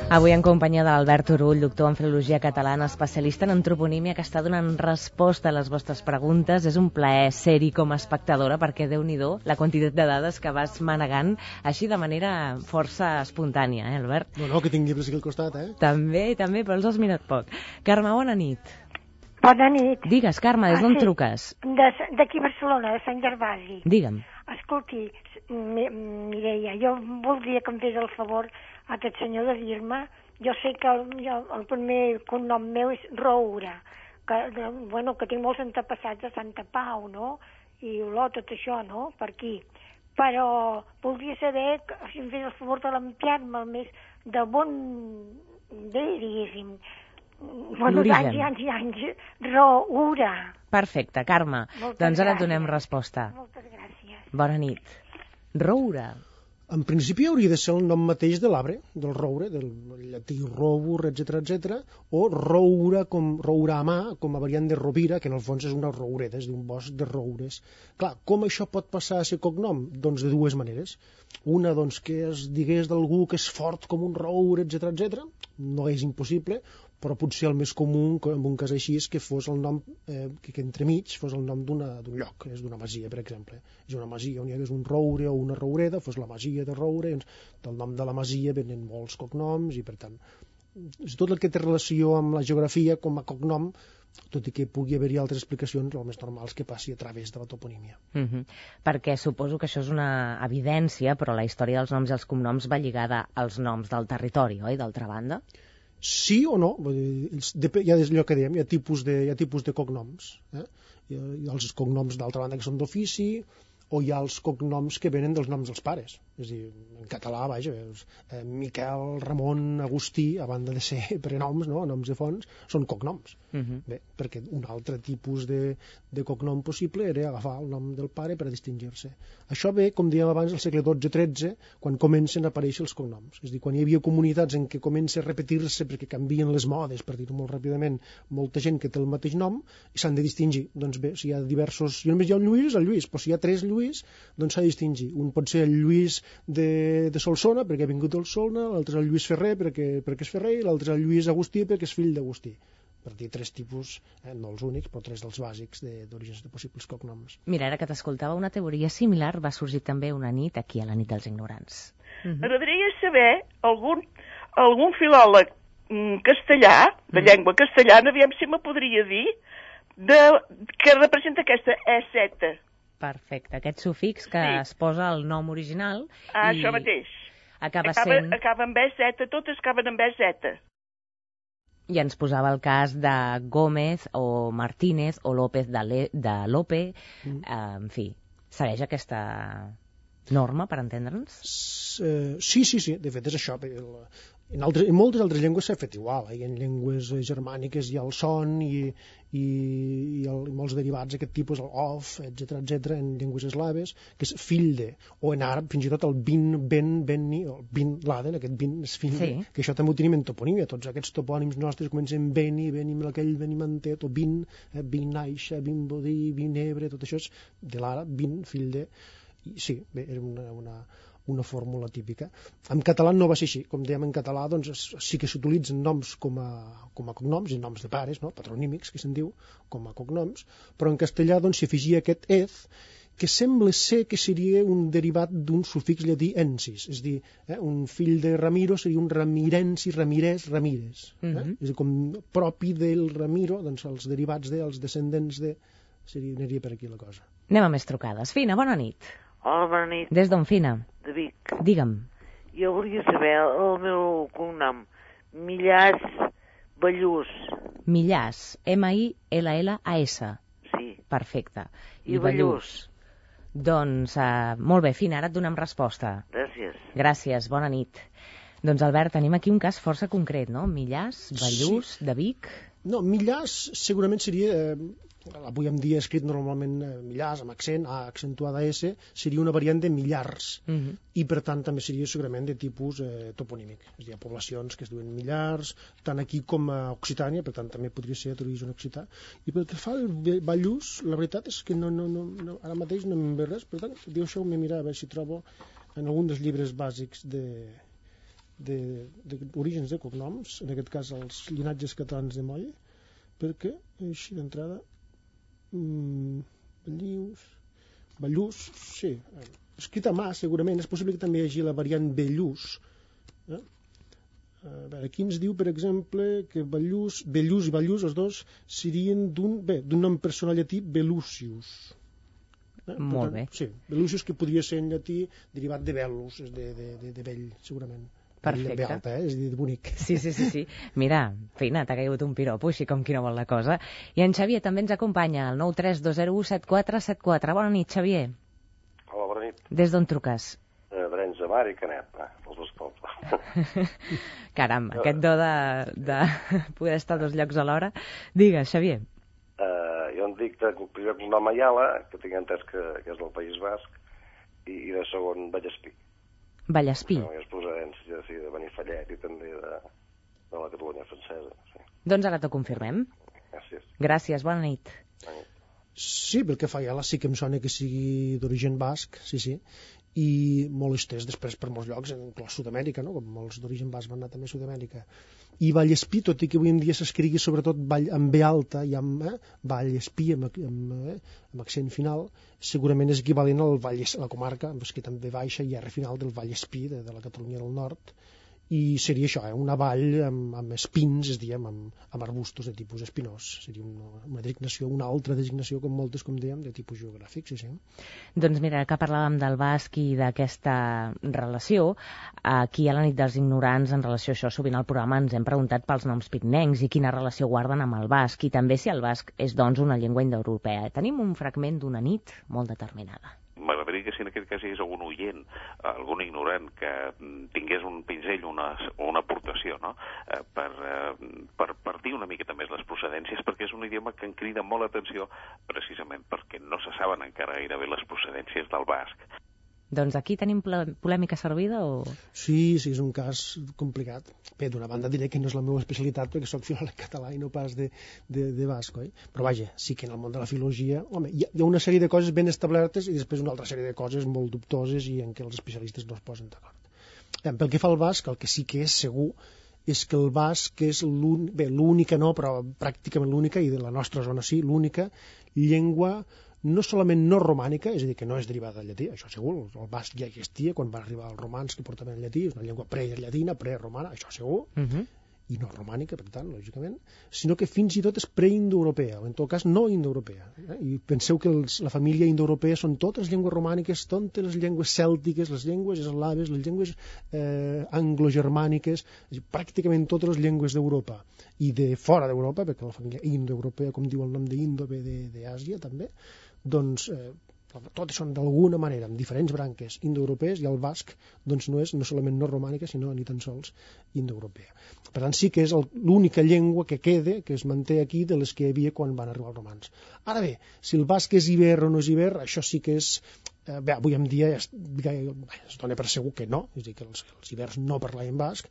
Avui en companyia d'Albert Turull, doctor en filologia catalana, especialista en antroponímia, que està donant resposta a les vostres preguntes. És un plaer ser-hi com a espectadora, perquè Déu-n'hi-do la quantitat de dades que vas manegant així de manera força espontània, Albert? No, que tinc llibres aquí al costat, També, però els has mirat poc. Carme, bona nit. Bona nit. Digues, Carme, des d'on truques? D'aquí Barcelona, de Sant Gervasi. Digue'm. Escolti, Mireia, jo voldria que em fes el favor a aquest senyor de dir-me jo sé que el primer cognom meu és Roura, que tinc molts antepassats de Santa Pau, no? I Olot, tot això, no? Per aquí. Però voldria saber, si em fes el favor de l'ampliar-me més de bon diguéssim, l'origen. Anys i anys, Roura. Perfecte, Carme. Doncs ara et donem resposta. Moltes gràcies. Bona nit. Roura. En principi hauria de ser el nom mateix de l'arbre, del roure, del llatí robur, etc, o roura, roura a mà, com a variant de rovira, que en el fons és una roureda, és d'un bosc de roures. Clar, com això pot passar a ser cognom? Doncs de dues maneres. Una, doncs, que es digués d'algú que és fort com un roure, etc, no és impossible, però potser el més comú en un cas així és que fos el nom que entremig fos el nom d'un lloc, és d'una masia, per exemple. És una masia on hi hagués un roure o una roureda, fos la masia de Roure, del nom de la masia venen molts cognoms i, per tant, tot el que té relació amb la geografia com a cognom, tot i que pugui haver-hi altres explicacions, el més normal és que passi a través de la toponímia. Perquè suposo que això és una evidència, però la història dels noms i els cognoms va lligada als noms del territori, oi, d'altra banda? Sí o no, hi ha allò que dèiem, hi ha tipus de cognoms. Hi ha els cognoms d'altra banda que són d'ofici, o hi ha els cognoms que venen dels noms dels pares. És a dir, en català, vaja, Miquel, Ramon, Agustí, a banda de ser prenoms, no? Noms de fonts, són cognoms. Bé, perquè un altre tipus de cognom possible era agafar el nom del pare per a distingir-se. Això ve, com dèiem abans, al segle XII-XIII, quan comencen a aparèixer els cognoms. És a dir, quan hi havia comunitats en què comença a repetir-se perquè canvien les modes, per dir-ho molt ràpidament, molta gent que té el mateix nom i s'han de distingir. Doncs bé, si hi ha diversos... Si només hi ha un Lluís, el Lluís, però si hi ha tres Lluís, doncs s'ha de distingir. Un pot ser el Lluís de Solsona, perquè ha vingut del Solna, l'altre és el Lluís Ferrer, perquè és Ferrer, i l'altre és el Lluís Agustí, perquè és fill d'Agustí. Per dir tres tipus, no els únics, però tres dels bàsics d'orígens de possibles cognoms. Mira, ara que t'escoltava, una teoria similar va sorgir també una nit aquí a la nit dels ignorants. M'agradaria saber algun filòleg castellà, de llengua castellana, aviam si me podria dir, que representa aquesta E7. Perfecte, aquest sufix que es posa al nom original i això mateix. Acaba amb E7, totes acaben amb E7. I ens posava el cas de Gómez o Martínez o López de Lope, en fi, segueix aquesta norma per entendre'ns? Sí, de fet és això. En moltes altres llengües s'ha fet igual, en llengües germàniques hi ha el son i molts derivats d'aquest tipus, el of, etc, en llengües eslaves, que és fill de, o en àrab fins i tot el benni, o bin laden, aquest bin és fill de, que això també ho tenim en toponímia, tots aquests topònims nostres comencen beni, benim aquell, benimantet, o bin aixa, bin bodí, bin ebre, tot això és de l'àrab, bin, fill de, i sí, bé, era una fórmula típica. En català no va ser així. Com dèiem, en català doncs, sí que s'utilitzen noms com a cognoms, i noms de pares, no? Patronímics, que se'n diu, com a cognoms, però en castellà doncs, s'hi afegia aquest ez, que sembla ser que seria un derivat d'un sufix llatí ensis, és a dir, un fill de Ramiro seria un ramirensi, Ramirès, Ramírez. És a dir, com propi del Ramiro, doncs els derivats els descendents de... Aniria per aquí la cosa. Anem a més trucades. Fina, bona nit. Hola, bona nit. Des d'on, Fina? De Vic. Digue'm. Jo volia saber el meu cognom. Millàs Ballús. Millàs, M-I-L-L-A-S. Sí. Perfecte. I Ballús. Doncs, molt bé, Fina, ara et donem resposta. Gràcies. Gràcies, bona nit. Doncs, Albert, tenim aquí un cas força concret, no? Millàs, Ballús, de Vic... No, Millàs segurament seria... avui en dia escrit normalment Millàs, amb accent, A accentuada S, seria una variant de Millars, i per tant també seria segurament de tipus toponímic. És a dir, hi ha poblacions que es diuen Millars, tant aquí com a Occitània, per tant també podria ser d'origen occità. I pel que fa al Ballús, la veritat és que ara mateix no em ve res, per tant, deixeu-me mirar a veure si trobo en algun dels llibres bàsics d'orígens de cognoms, en aquest cas els llinatges catalans de Moll, perquè així d'entrada Ballús, sí, escrit a mà segurament, és possible que també hi hagi la variant Bellús. A veure, aquí ens diu, per exemple, que Bellús i Ballús, els dos, serien d'un nom personal llatí, Bellucius. Molt bé. Sí, Bellucius, que podria ser en llatí derivat de Bellus, de vell, segurament. Perfecte. B alta, és a dir, bonic. Sí. Mira, feina, t'ha caigut un piropo, així com qui no vol la cosa. I en Xavier també ens acompanya, al 932017474. Bona nit, Xavier. Hola, bona nit. Des d'on truques? D'Arenys de Mar i Canet, els dos pobles. Caram, aquest do de poder estar a dos llocs alhora. Digues, Xavier. Jo em dic de primer cognom Ayala, que tinc entès que és del País Basc, i de segon Vallespí. Vallespí. És procedència de Benifallet i també de la Catalunya francesa. Sí. Doncs ara t'ho confirmem. Gràcies. Gràcies, bona nit. Sí, pel que fa a Ayala sí que em sona que sigui d'origen basc, sí, i molt estès després per molts llocs, inclòs Sud-amèrica, no? Com molts d'origen basc van anar també a Sud-amèrica. I Vallespí, tot i que avui en dia s'escrigui sobretot amb B alta i amb Vallespí, amb accent final, segurament és equivalent al la comarca, que també baixa i R final del Vallespí, de la Catalunya del Nord, i seria això, una vall amb espins, és a dir, amb arbustos de tipus espinós. Seria una designació, una altra designació, com moltes, com dèiem, de tipus geogràfic, sí. Doncs mira, que parlàvem del basc i d'aquesta relació, aquí a la nit dels ignorants, en relació a això, sovint al programa ens hem preguntat pels noms pirinencs i quina relació guarden amb el basc, i també si el basc és, doncs, una llengua indoeuropea. Tenim un fragment d'una nit molt determinada. M'agradaria que si en aquest cas hi hagués algun oient, algun ignorant que tingués un pinzell o una aportació, no? per dir una miqueta més les procedències, perquè és un idioma que en crida molt l'atenció precisament perquè no se saben encara gairebé les procedències del basc. Doncs aquí tenim polèmica servida o...? Sí, és un cas complicat. Bé, d'una banda diré que no és la meva especialitat perquè soc filòleg català i no pas de basc, oi? Però vaja, sí que en el món de la filologia, home, hi ha una sèrie de coses ben establertes i després una altra sèrie de coses molt dubtoses i en què els especialistes no es posen d'acord. Pel que fa al basc, el que sí que és segur és que el basc és l'única, no, però pràcticament l'única, i de la nostra zona sí, l'única llengua no solament no romànica, és a dir, que no és derivada del llatí, això segur, el basc ja existia quan van arribar els romans que portaven el llatí, és una llengua prellatina, preromana, això segur, i no romànica, per tant, lògicament, sinó que fins i tot és preindoeuropea, o en tot cas no indoeuropea. I penseu que la família indoeuropea són totes llengües romàniques, totes les llengües cèltiques, les llengües eslaves, les llengües anglogermàniques, pràcticament totes les llengües d'Europa i de fora d'Europa, perquè la família indoeuropea, com diu el nom d'Indo, ve d'Àsia també, doncs totes són d'alguna manera, amb diferents branques indoeuropees, i el basc doncs no és no solament no romànica, sinó ni tan sols indoeuropea. Per tant, sí que és l'única llengua que queda, que es manté aquí, de les que hi havia quan van arribar els romans. Ara bé, si el basc és iber o no és iber, això sí que és... avui en dia es dona per segur que no, és a dir, que els ibers no parlaven basc,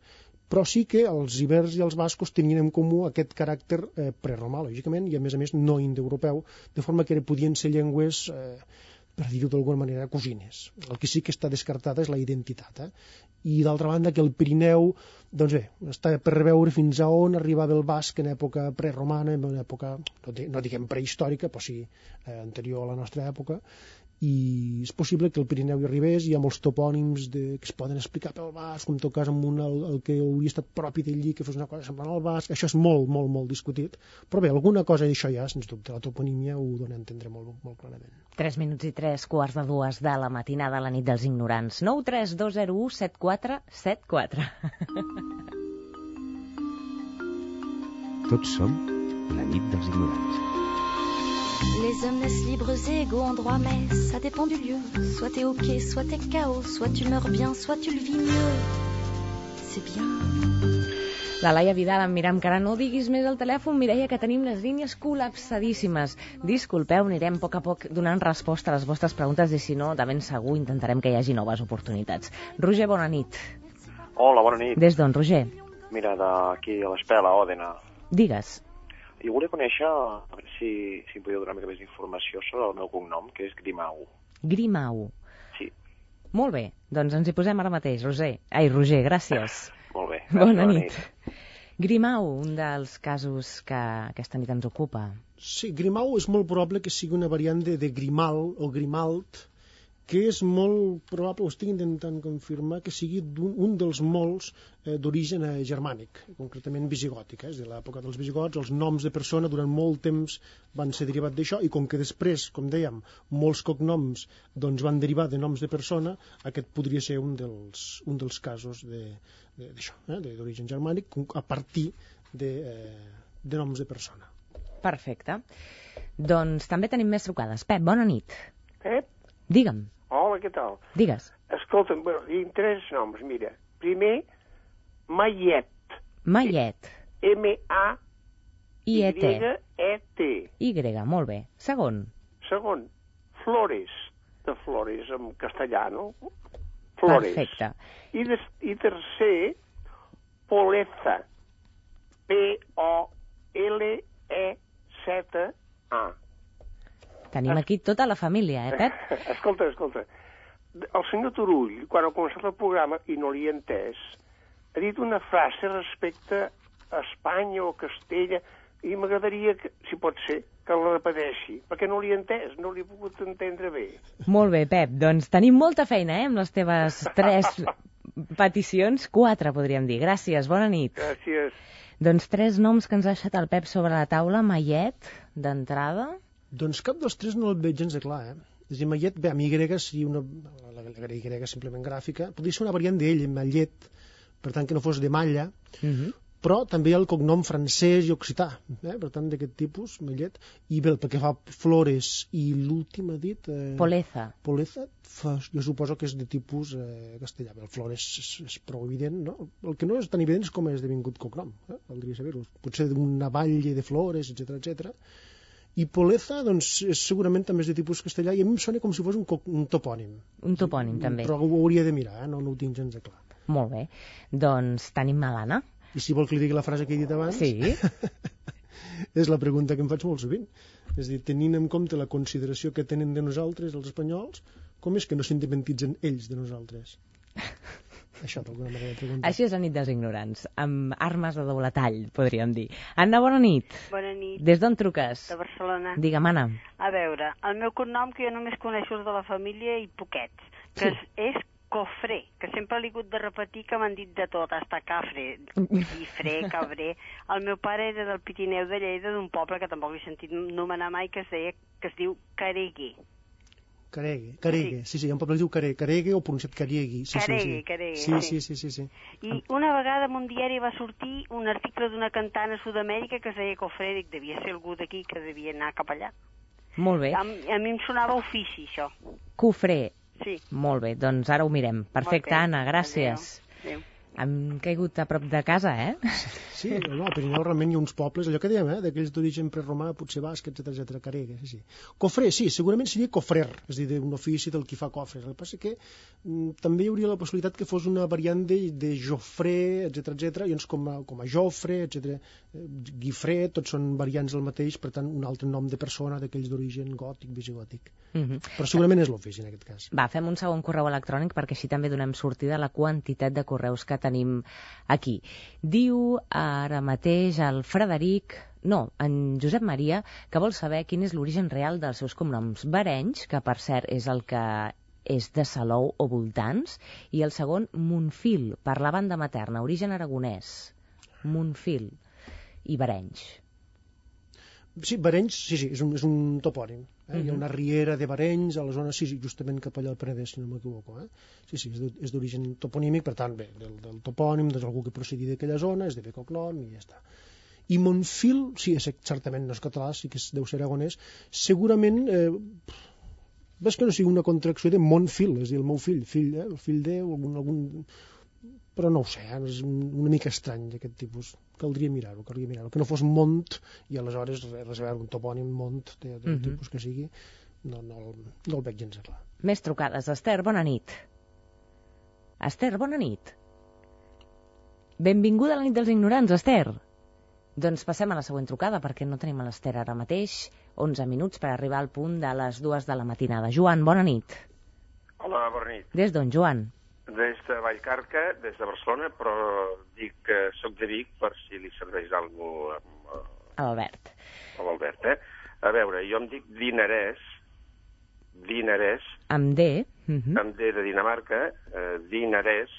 però sí que els ibers i els bascos tenien en comú aquest caràcter preromà, lògicament, i a més no indoeuropeu, de forma que podien ser llengües, per dir-ho d'alguna manera, cosines. El que sí que està descartada és la identitat. I d'altra banda que el Pirineu, doncs bé, està per veure fins a on arribava el basc en època preromana, en època, no diguem prehistòrica, però sí anterior a la nostra època, i és possible que el Pirineu hi arribés, hi ha molts topònims que es poden explicar pel basc, en tot cas amb el que hauria estat propi d'allí, que fos una cosa semblant al basc, això és molt, molt, molt discutit, però bé, alguna cosa d'això ja, sens dubte, la toponímia ho dona a entendre molt, molt clarament. 3 minuts i 3 quarts de 2 de la matinada a la nit dels ignorants. 932017474. Tots som la nit dels ignorants. Les hommes naissent libres et égaux en droit, mais ça dépend du lieu. Soit t'es ok, soit t'es KO, soit tu meurs bien, soit tu le vis mieux. C'est bien. La Laia Vidal em mira amb cara, no diguis més al telèfon, Mireia, que tenim les línies col·lapsadíssimes. Disculpeu, anirem a poc donant resposta a les vostres preguntes i si no, de ben segur intentarem que hi hagi noves oportunitats. Roger, bona nit. Hola, bona nit. Des d'on, Roger? Mira, d'aquí a l'Espela, Òdena. Digues. I volia conèixer, a veure si em podeu donar una mica més d'informació sobre el meu cognom, que és Grimau. Grimau. Sí. Molt bé, doncs ens hi posem ara mateix, Roger, gràcies. Molt bé. Bona nit. Grimau, un dels casos que aquesta nit ens ocupa. Sí, Grimau és molt probable que sigui una variant de Grimal o Grimalt, que és molt probable, ho estic intentant confirmar, que sigui un dels molts d'origen germànic, concretament visigòtic. És a dir, a l'època dels visigots, els noms de persona durant molt temps van ser derivats d'això, i com que després, com dèiem, molts cognoms doncs, van derivar de noms de persona, aquest podria ser un dels casos d'això, d'origen germànic, a partir de noms de persona. Perfecte. Doncs també tenim més trucades. Pep, bona nit. Pep? Digue'm. Hola, què tal? Digues. Escolta'm, tinc 3 noms, mira. Primer, Mayet. Mayet. M-A-Y-E-T. Y, molt bé. Segon. Segon, Flores. De Flores, en castellà, no? Flores. Perfecte. I tercer, Poleza. P-O-L-E-Z-A. Tenim aquí tota la família, Pep? Escolta. El senyor Turull, quan ha començat el programa, i no l'hi he entès, ha dit una frase respecte a Espanya o Castella, i m'agradaria, si pot ser, que la repeteixi, perquè no l'hi he entès, no l'hi he pogut entendre bé. Molt bé, Pep. Doncs tenim molta feina, amb les teves 3 peticions. 4, podríem dir. Gràcies, bona nit. Gràcies. Doncs 3 noms que ens ha deixat el Pep sobre la taula. Mayet, d'entrada. Doncs cap dels 3 no el veig gens de clar, És a dir, Mayet, bé, amb Y, si la Y simplement gràfica, podria ser una variant d'ell, Mallet, per tant que no fos de malla, però també hi ha el cognom francès i occità, per tant d'aquest tipus, Mallet, i bé, pel que fa Flores i l'últim ha dit... Poleza. Poleza, jo suposo que és de tipus castellà. El Flores és prou evident, no? El que no és tan evident és com és devingut cognom, valdria saber-ho. Potser d'una valle de flores, etc. I Poleza, doncs, segurament també és de tipus castellà, i a mi em sona com si fos un topònim. Un topònim, també. Però ho hauria de mirar, no ho tinc gens de clar. Molt bé. Doncs tenim l'Anna. I si vol que li digui la frase que he dit abans... Sí. És la pregunta que em faig molt sovint. És a dir, tenint en compte la consideració que tenen de nosaltres, els espanyols, com és que no s'independitzen ells de nosaltres? Això, d'alguna manera, de preguntar. Així és la nit dels ignorants, amb armes de doble tall, podríem dir. Anna, bona nit. Bona nit. Des d'on truques? De Barcelona. Digue'm, Anna. A veure, el meu cognom, que jo només coneixo els de la família i poquets, que és Cofré, que sempre l'he hagut de repetir, que m'han dit de tot, hasta Cafre, Guifré, Cabré. El meu pare era del Pirineu de Lleida, d'un poble que tampoc he sentit nomenar mai, que es diu Caregui. Caregue, sí, hi ha un poble que es diu Caregue o pronunciat Cariegui. Caregue. Sí. I una vegada en un diari va sortir un article d'una cantant a Sud-amèrica que es deia Cofré, dic, devia ser algú d'aquí que devia anar cap allà. Molt bé. A mi em sonava ofici, això. Cofré. Sí. Molt bé, doncs ara ho mirem. Perfecte, Anna, gràcies. Adéu. Hem caigut a prop de casa, Sí, no, al Pirineu realment hi ha uns pobles, allò que dèiem, d'aquells d'origen preromà, potser basc, etc. Caregue, sí. Cofrer, sí, segurament seria cofrer, és a dir, d'un ofici del qui fa cofres. El que passa que també hi hauria la possibilitat que fos una variant de Jofré, etc. I com a Jofre, etc. Guifré, tots són variants del mateix, per tant, un altre nom de persona d'aquells d'origen gòtic, visigòtic. Però segurament és l'ofici, en aquest cas. Va, fem un segon correu electrònic perquè així també donem sortida a la quantitat de correus que tenim aquí. Diu ara mateix el Frederic, en Josep Maria, que vol saber quin és l'origen real dels seus cognoms. Barenys, que per cert és el que és de Salou o voltants, i el segon, Montfil, per la banda materna, origen aragonès. Montfil i Barenys. Sí, Barenys, sí, és un topònim. Hi ha una riera de Barenys a la zona, justament cap allà al Penedès, si no m'equivoco. Sí, és d'origen toponímic, per tant, bé, del topònim, d'algú que procedi d'aquella zona, és de bé cognom i ja està. I Montfil, sí, certament no és català, sí que deu ser aragonès, segurament, ves que no sigui una contracció de Montfil, és a dir, el meu fill, el fill de, algun... Però no ho sé, és una mica estrany d'aquest tipus. Caldria mirar-ho, que no fos Mont, i aleshores res a veure un topònim Mont del tipus que sigui, no el veig gens clar. Més trucades. Esther, bona nit. Esther, bona nit. Benvinguda a la nit dels ignorants, Esther. Doncs passem a la següent trucada, perquè no tenim a l'Esther ara mateix. 11 minuts per arribar al punt de les 2 de la matinada. Joan, bona nit. Hola, bona nit. Des d'on, Joan? Des de Vallcarca, des de Barcelona, però dic que soc de Vic per si li serveix alguna cosa a l'Albert. A l'Albert, A veure, jo em dic Dinarès. Amb D. amb D de Dinamarca, dinarès,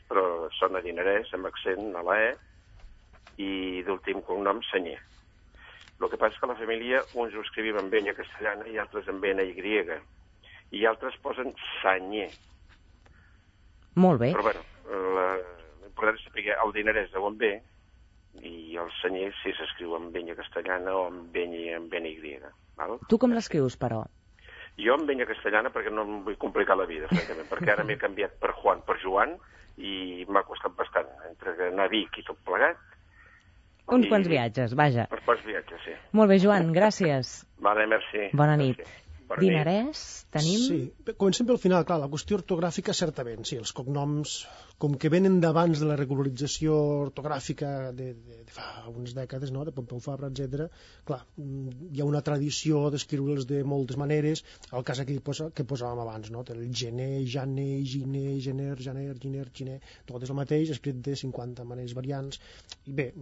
però sona dinarès, amb accent a la E, i d'últim cognom, Senyer. El que passa és que la família, uns ho escrivim amb enya castellana i altres amb NY, i altres posen Senyer. Molt bé. Però, bueno, l'important és saber el dinarès de on ve, i el Senyer si s'escriu amb enya castellana o amb NY. Val? Tu com l'escrius, però? Jo amb enya castellana perquè no em vull complicar la vida, francament, perquè ara m'he canviat per Juan, per Joan, i m'ha costat bastant, entre anar a Vic i tot plegat. Uns quants viatges, vaja. Uns quants viatges, sí. Molt bé, Joan, gràcies. Vale, merci. Bona nit. Bona Dinarès, tenim... Sí, comencem pel final, clar, la qüestió ortogràfica, certament, sí, els cognoms, com que venen d'abans de la regularització ortogràfica de fa unes dècades, no?, de Pompeu Fabra, etc. Clar, hi ha una tradició d'escriure'ls de moltes maneres, el cas aquí que posàvem abans, no?, el gener, janer, giner, gener, janer, giner, giner, tot és el mateix, escrit de 50 maneres variants, i bé,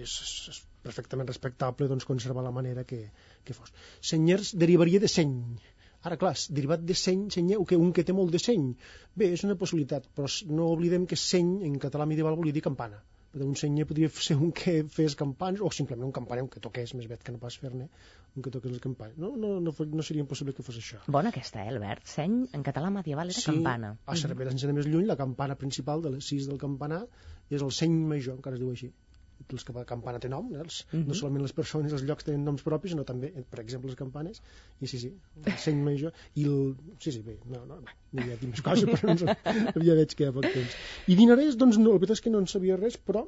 és perfectament respectable doncs, conservar la manera que fos. Senyers derivaria de seny. Ara, clar, derivat de seny, senyer, un que té molt de seny. Bé, és una possibilitat, però no oblidem que seny en català medieval volia dir campana. Un senyer podria ser un que fes campanes, o simplement un campaner, un que toqués, més vet que no pas fer-ne, un que toqués les campanes. No seria impossible que fos això. Bona aquesta, Albert? Seny en català medieval era campana. Sí, a Cervera, sense anar més lluny, la campana principal de les 6 del campanar és el seny major, encara es diu així. Els que la campana té nom, no solament les persones, els llocs tenen noms propis, sinó també, per exemple, les campanes, i sí, el seny major, i el... Sí, bé, no hi ha dit més coses, però ja veig que hi ha poc temps. I dinarès, doncs, no, la veritat és que no en sabia res, però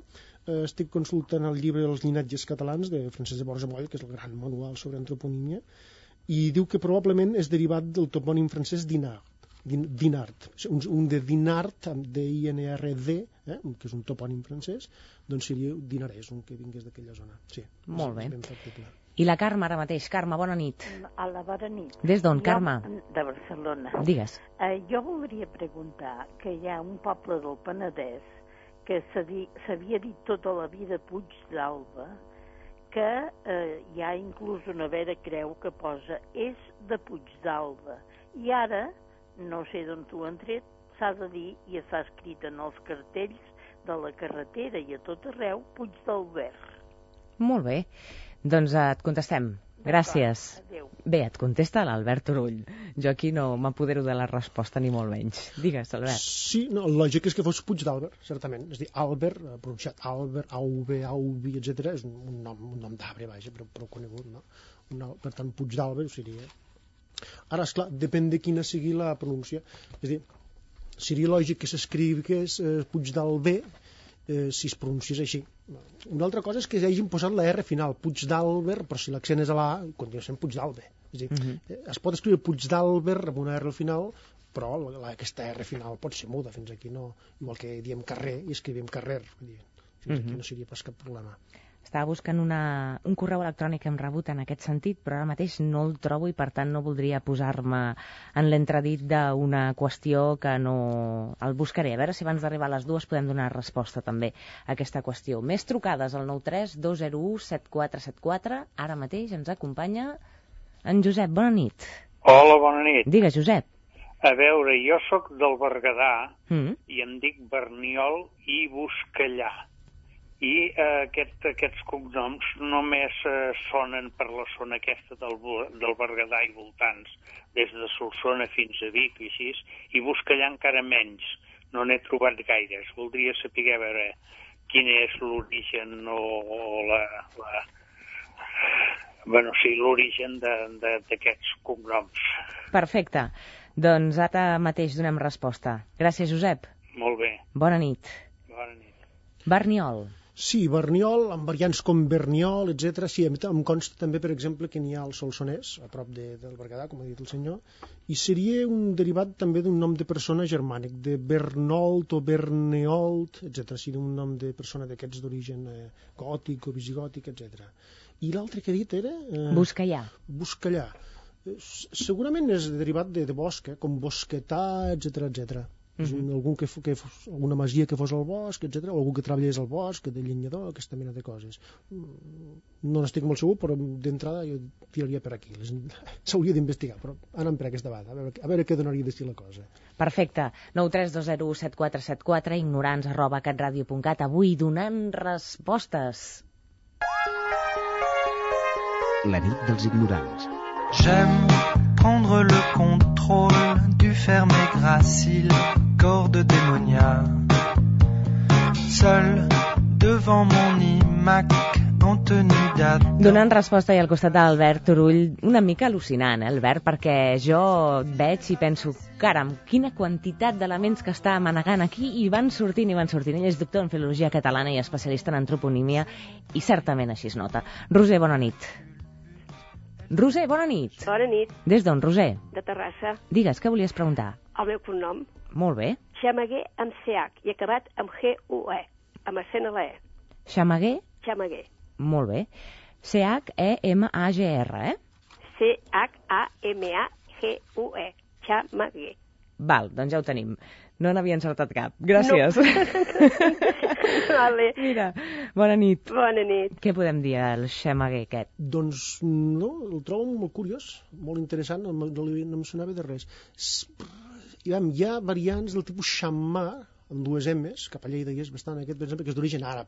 estic consultant el llibre dels llinatges catalans de Francesc de Borja Moll, que és el gran manual sobre antroponímia, i diu que probablement és derivat del topònim francès Dinard, un de Dinard, amb D-I-N-R-D, que és un topònim francès, doncs seria dinarès, un que vingués d'aquella zona. Sí, molt bé. I la Carme ara mateix. Carme, bona nit. Hola, bona nit. Des d'on, Carme? De Barcelona. Digues. Jo voldria preguntar que hi ha un poble del Penedès que s'havia dit tota la vida Puig d'Alba, que hi ha inclús una vera creu que posa és de Puig d'Alba. I ara, no sé d'on t'ho han tret, s'ha de dir, i està escrit en els cartells de la carretera i a tot arreu, Puig d'Albert. Molt bé. Doncs et contestem. Gràcies. Adéu. Bé, et contesta l'Albert Turull. Jo aquí no m'apodero de la resposta ni molt menys. Digues, Albert. Sí, no, el lògic és que fos Puig d'Àlber, certament. És a dir, Àlber, pronunciat Àlber, Auve, Auvi, etc. És un nom d'arbre, vaja, prou conegut, no? Per tant, Puig d'Àlber ho seria. Ara, esclar, depèn de quina sigui la pronúncia. És a dir, seria lògic que s'escrigués Puig d'Alber si es pronunciés així. Una altra cosa és que hagin posat la R final, Puig d'Àlber, però si l'accent és a la A, continua sent Puig d'Àlber. És a dir, es pot escriure Puig d'Àlber amb una R al final, però aquesta R final pot ser muda fins aquí, no? Igual que diem carrer i escrivim carrer. Fins aquí no seria pas cap problema. Estava buscant un correu electrònic que hem rebut en aquest sentit, però ara mateix no el trobo i per tant no voldria posar-me en l'entredit d'una qüestió que no... El buscaré, a veure si abans d'arribar a les 2 podem donar resposta també a aquesta qüestió. Més trucades al 93 201 7474. Ara mateix ens acompanya en Josep. Bona nit. Hola, bona nit. Digues, Josep. A veure, jo sóc del Berguedà i em dic Berniol i Buscallà. I aquests cognoms només sonen per la zona aquesta del Berguedà i voltants, des de Solsona fins a Vic i així, i Buscallà encara menys, no n'he trobat gaires. Voldria saber, a veure, quin és l'origen l'origen d'aquests cognoms. Perfecte. Doncs ara mateix donem resposta. Gràcies, Josep. Molt bé. Bona nit. Bona nit. Berniol. Sí, Berniol, amb variants com Berniol, etc. Sí, em consta també, per exemple, que n'hi ha al Solsonès, a prop del Berguedà, com ha dit el senyor, i seria un derivat també d'un nom de persona germànic, de Bernold o Berneold, etc. Seria un nom de persona d'aquests d'origen gòtic o visigòtic, etc. I l'altre que he dit era... Buscallà. Buscallà. Segurament és derivat de bosc, com bosquetà, etc etc. Algun alguna masia que fos al bosc, etc. O algú que treballés al bosc, de llenyador, aquesta mena de coses. No n'estic molt segur, però d'entrada jo tiraria per aquí. S'hauria d'investigar, però anem per aquesta banda, a veure què donaria de si la cosa. Perfecte. 932017474, ignorants@catradio.cat. Avui donant respostes. La nit dels ignorants. J'aime prendre le contrôle du ferme gracile, corde démoniaque. Seul devant mon iMac en tenue d'attente. Donant resposta i al costat d'Albert Turull, una mica al·lucinant, Albert, perquè jo veig i penso, caram, quina quantitat d'elements que està manegant aquí i van sortint. Ell és doctor en filologia catalana i especialista en antroponímia i certament així es nota. Roser, bona nit. Roser, bona nit. Bona nit. Des d'on, Roser? De Terrassa. Digues, què volies preguntar? El meu cognom. Molt bé. Xamaguer amb CH i acabat amb GUE, amb accent a la E. Xamaguer? Xamaguer. Molt bé. CHEMAGR, CHAMAGUE. Xamaguer. Val, doncs ja ho tenim. No n'havia encertat cap. Gràcies. No. Vale. Mira, bona nit. Bona nit. Què podem dir al xamaguer aquest? Doncs no, el trobo molt curiós, molt interessant, no em sonava de res. Hi ha variants del tipus xamà, amb dues M's, cap a Lleida hi és bastant aquest, per exemple, que és d'origen àrab.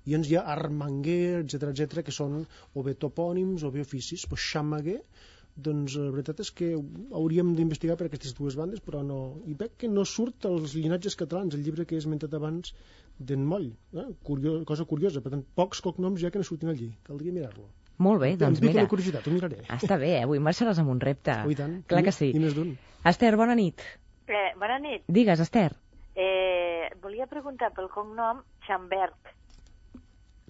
I llavors hi ha armanguer, etc, que són o bé topònims o bé oficis. Però xamaguer, doncs la veritat és que hauríem d'investigar per aquestes dues bandes, però no... I veig que no surt als llinatges catalans, el llibre que he esmentat abans d'en Moll. Cosa curiosa, per tant, pocs cognoms ja que no surtin allí. Caldria mirar-lo. Molt bé, doncs mira. Em pica mira. la curiositat, ho miraré. Està bé, avui marxaràs amb un repte. Oh, i tant. Clar que sí. I més d'un. Esther, bona nit. Bona nit. Digues, Esther. Volia preguntar pel cognom Chamberg.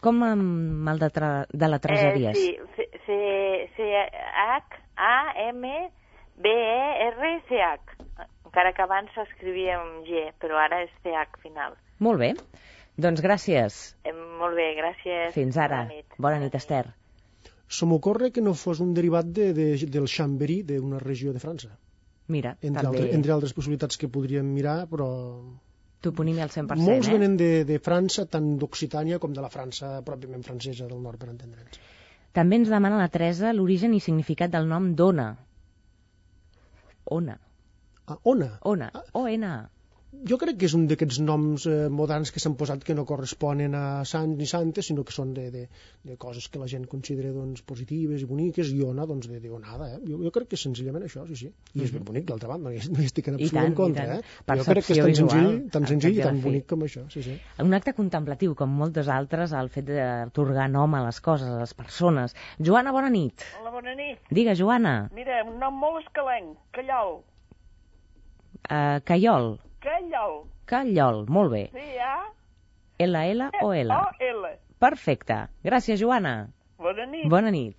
Com amb el de la treseries? Sí, C-H-A-M-B-E-R-C-H. Encara que abans s'escrivia amb G, però ara és CH final. Molt bé. Doncs gràcies. Molt bé, gràcies. Fins ara. Bona nit, Esther. Se m'ocorre que no fos un derivat del Chambéry, d'una regió de França. Mira, entre altres possibilitats que podríem mirar, però... Toponímia al 100%, Molts venen de França, tant d'Occitània com de la França pròpiament francesa del nord, per entendre'ns. També ens demana la Teresa l'origen i significat del nom d'Ona. Ona. Ona? Ona, O-N-A. Jo crec que és un d'aquests noms moderns que s'han posat que no corresponen a sants ni santes, sinó que són de coses que la gent considera doncs, positives i boniques, i ona, doncs, d'onada. Jo crec que és senzillament això, sí. I és ben bonic, d'altra banda, no hi estic en absolut en contra. Jo crec que és tan senzill i tan bonic com això, sí. Un acte contemplatiu, com moltes altres, el fet d'atorgar nom a les coses, a les persones. Joana, bona nit. Hola, bona nit. Digues, Joana. Mira, un nom molt escalenc, Callol. Callol. Callol, molt bé. L-L-O-L. O-L. Perfecte. Gràcies, Joana. Bona nit. Bona nit.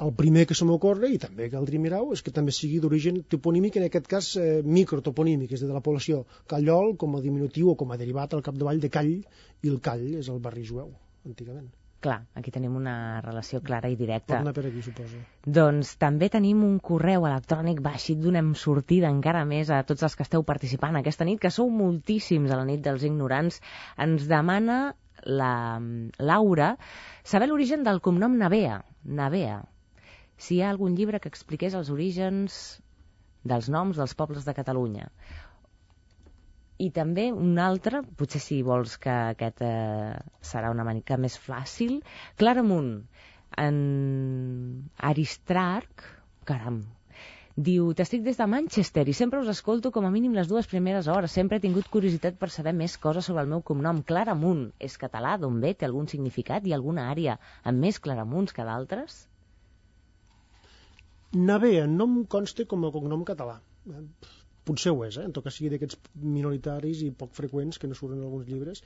El primer que se m'ocorre, i també caldria mirar-ho, és que també sigui d'origen toponímic, en aquest cas microtoponímic, és de la població. Callol, com a diminutiu o com a derivat al capdavall de Call, i el Call és el barri jueu, antigament. Clar, aquí tenim una relació clara i directa. Torna per aquí, suposo. Doncs també tenim un correu electrònic, va, així donem sortida encara més a tots els que esteu participant aquesta nit, que sou moltíssims a la nit dels ignorants. Ens demana la Laura saber l'origen del cognom Navea. Si hi ha algun llibre que expliqués els orígens dels noms dels pobles de Catalunya. I també un altre, potser si vols que aquest serà una mica més fàcil, Claramunt, en Aristarc, caram, diu, t'estic des de Manchester i sempre us escolto com a mínim les 2 primeres hores, sempre he tingut curiositat per saber més coses sobre el meu cognom. Claramunt, és català, d'on ve, té algun significat i alguna àrea amb més Claramunts que d'altres? Navea, no em consta com a cognom català. Potser ho és, en tot cas sigui d'aquests minoritaris i poc freqüents que no surten en alguns llibres.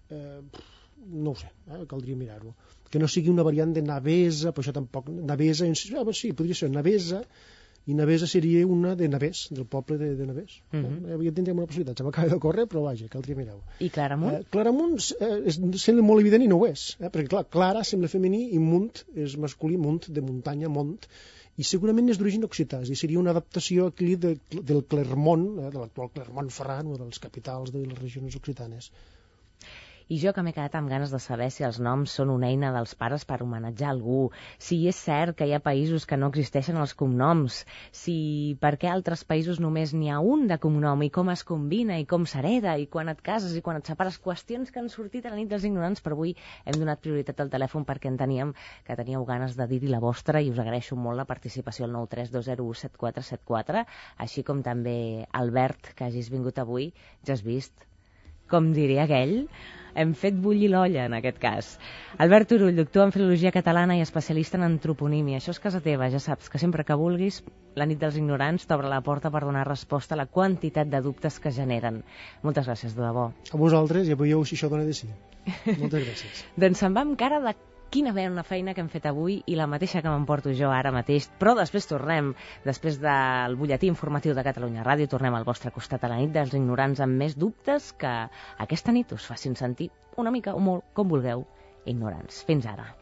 No ho sé, caldria mirar-ho. Que no sigui una variant de Navesa, però això tampoc... Navesa, sí, podria ser Navesa, i Navesa seria una de Navès, del poble de Navès. Ja tindrem una possibilitat, se m'acaba de córrer, però vaja, caldria mirar-ho. I Claramunt? Claramunt sembla molt evident i no ho és, perquè clar, Clara sembla femení i Munt és masculí, Munt de muntanya, Mont, i segurament és d'origen occità, és a dir, seria una adaptació aquí del Clermont, de l'actual Clermont-Ferrand, una de les capitals de les regions occitanes. I jo que m'he quedat amb ganes de saber si els noms són una eina dels pares per homenatjar algú, si és cert que hi ha països que no existeixen els cognoms, si per què a altres països només n'hi ha un de cognom i com es combina i com s'hereda i quan et cases i quan et separes, qüestions que han sortit a la nit dels ignorants, però avui hem donat prioritat al telèfon perquè enteníem que teníeu ganes de dir-hi la vostra i us agraeixo molt la participació al 932017474, així com també Albert, que hagis vingut avui, ja has vist, com diria aquell, hem fet bullir l'olla en aquest cas. Albert Turull, doctor en Filologia Catalana i especialista en antroponímia. Això és casa teva, ja saps que sempre que vulguis, la nit dels ignorants t'obre la porta per donar resposta a la quantitat de dubtes que generen. Moltes gràcies, de debò. A vosaltres, ja veieu si això dona de sí. Moltes gràcies. Doncs se'n va amb cara de quina una feina que hem fet avui i la mateixa que m'emporto jo ara mateix, però després tornem, després del butlletí informatiu de Catalunya Ràdio, tornem al vostre costat a la nit dels ignorants amb més dubtes que aquesta nit us facin sentir una mica o molt, com vulgueu, ignorants. Fins ara.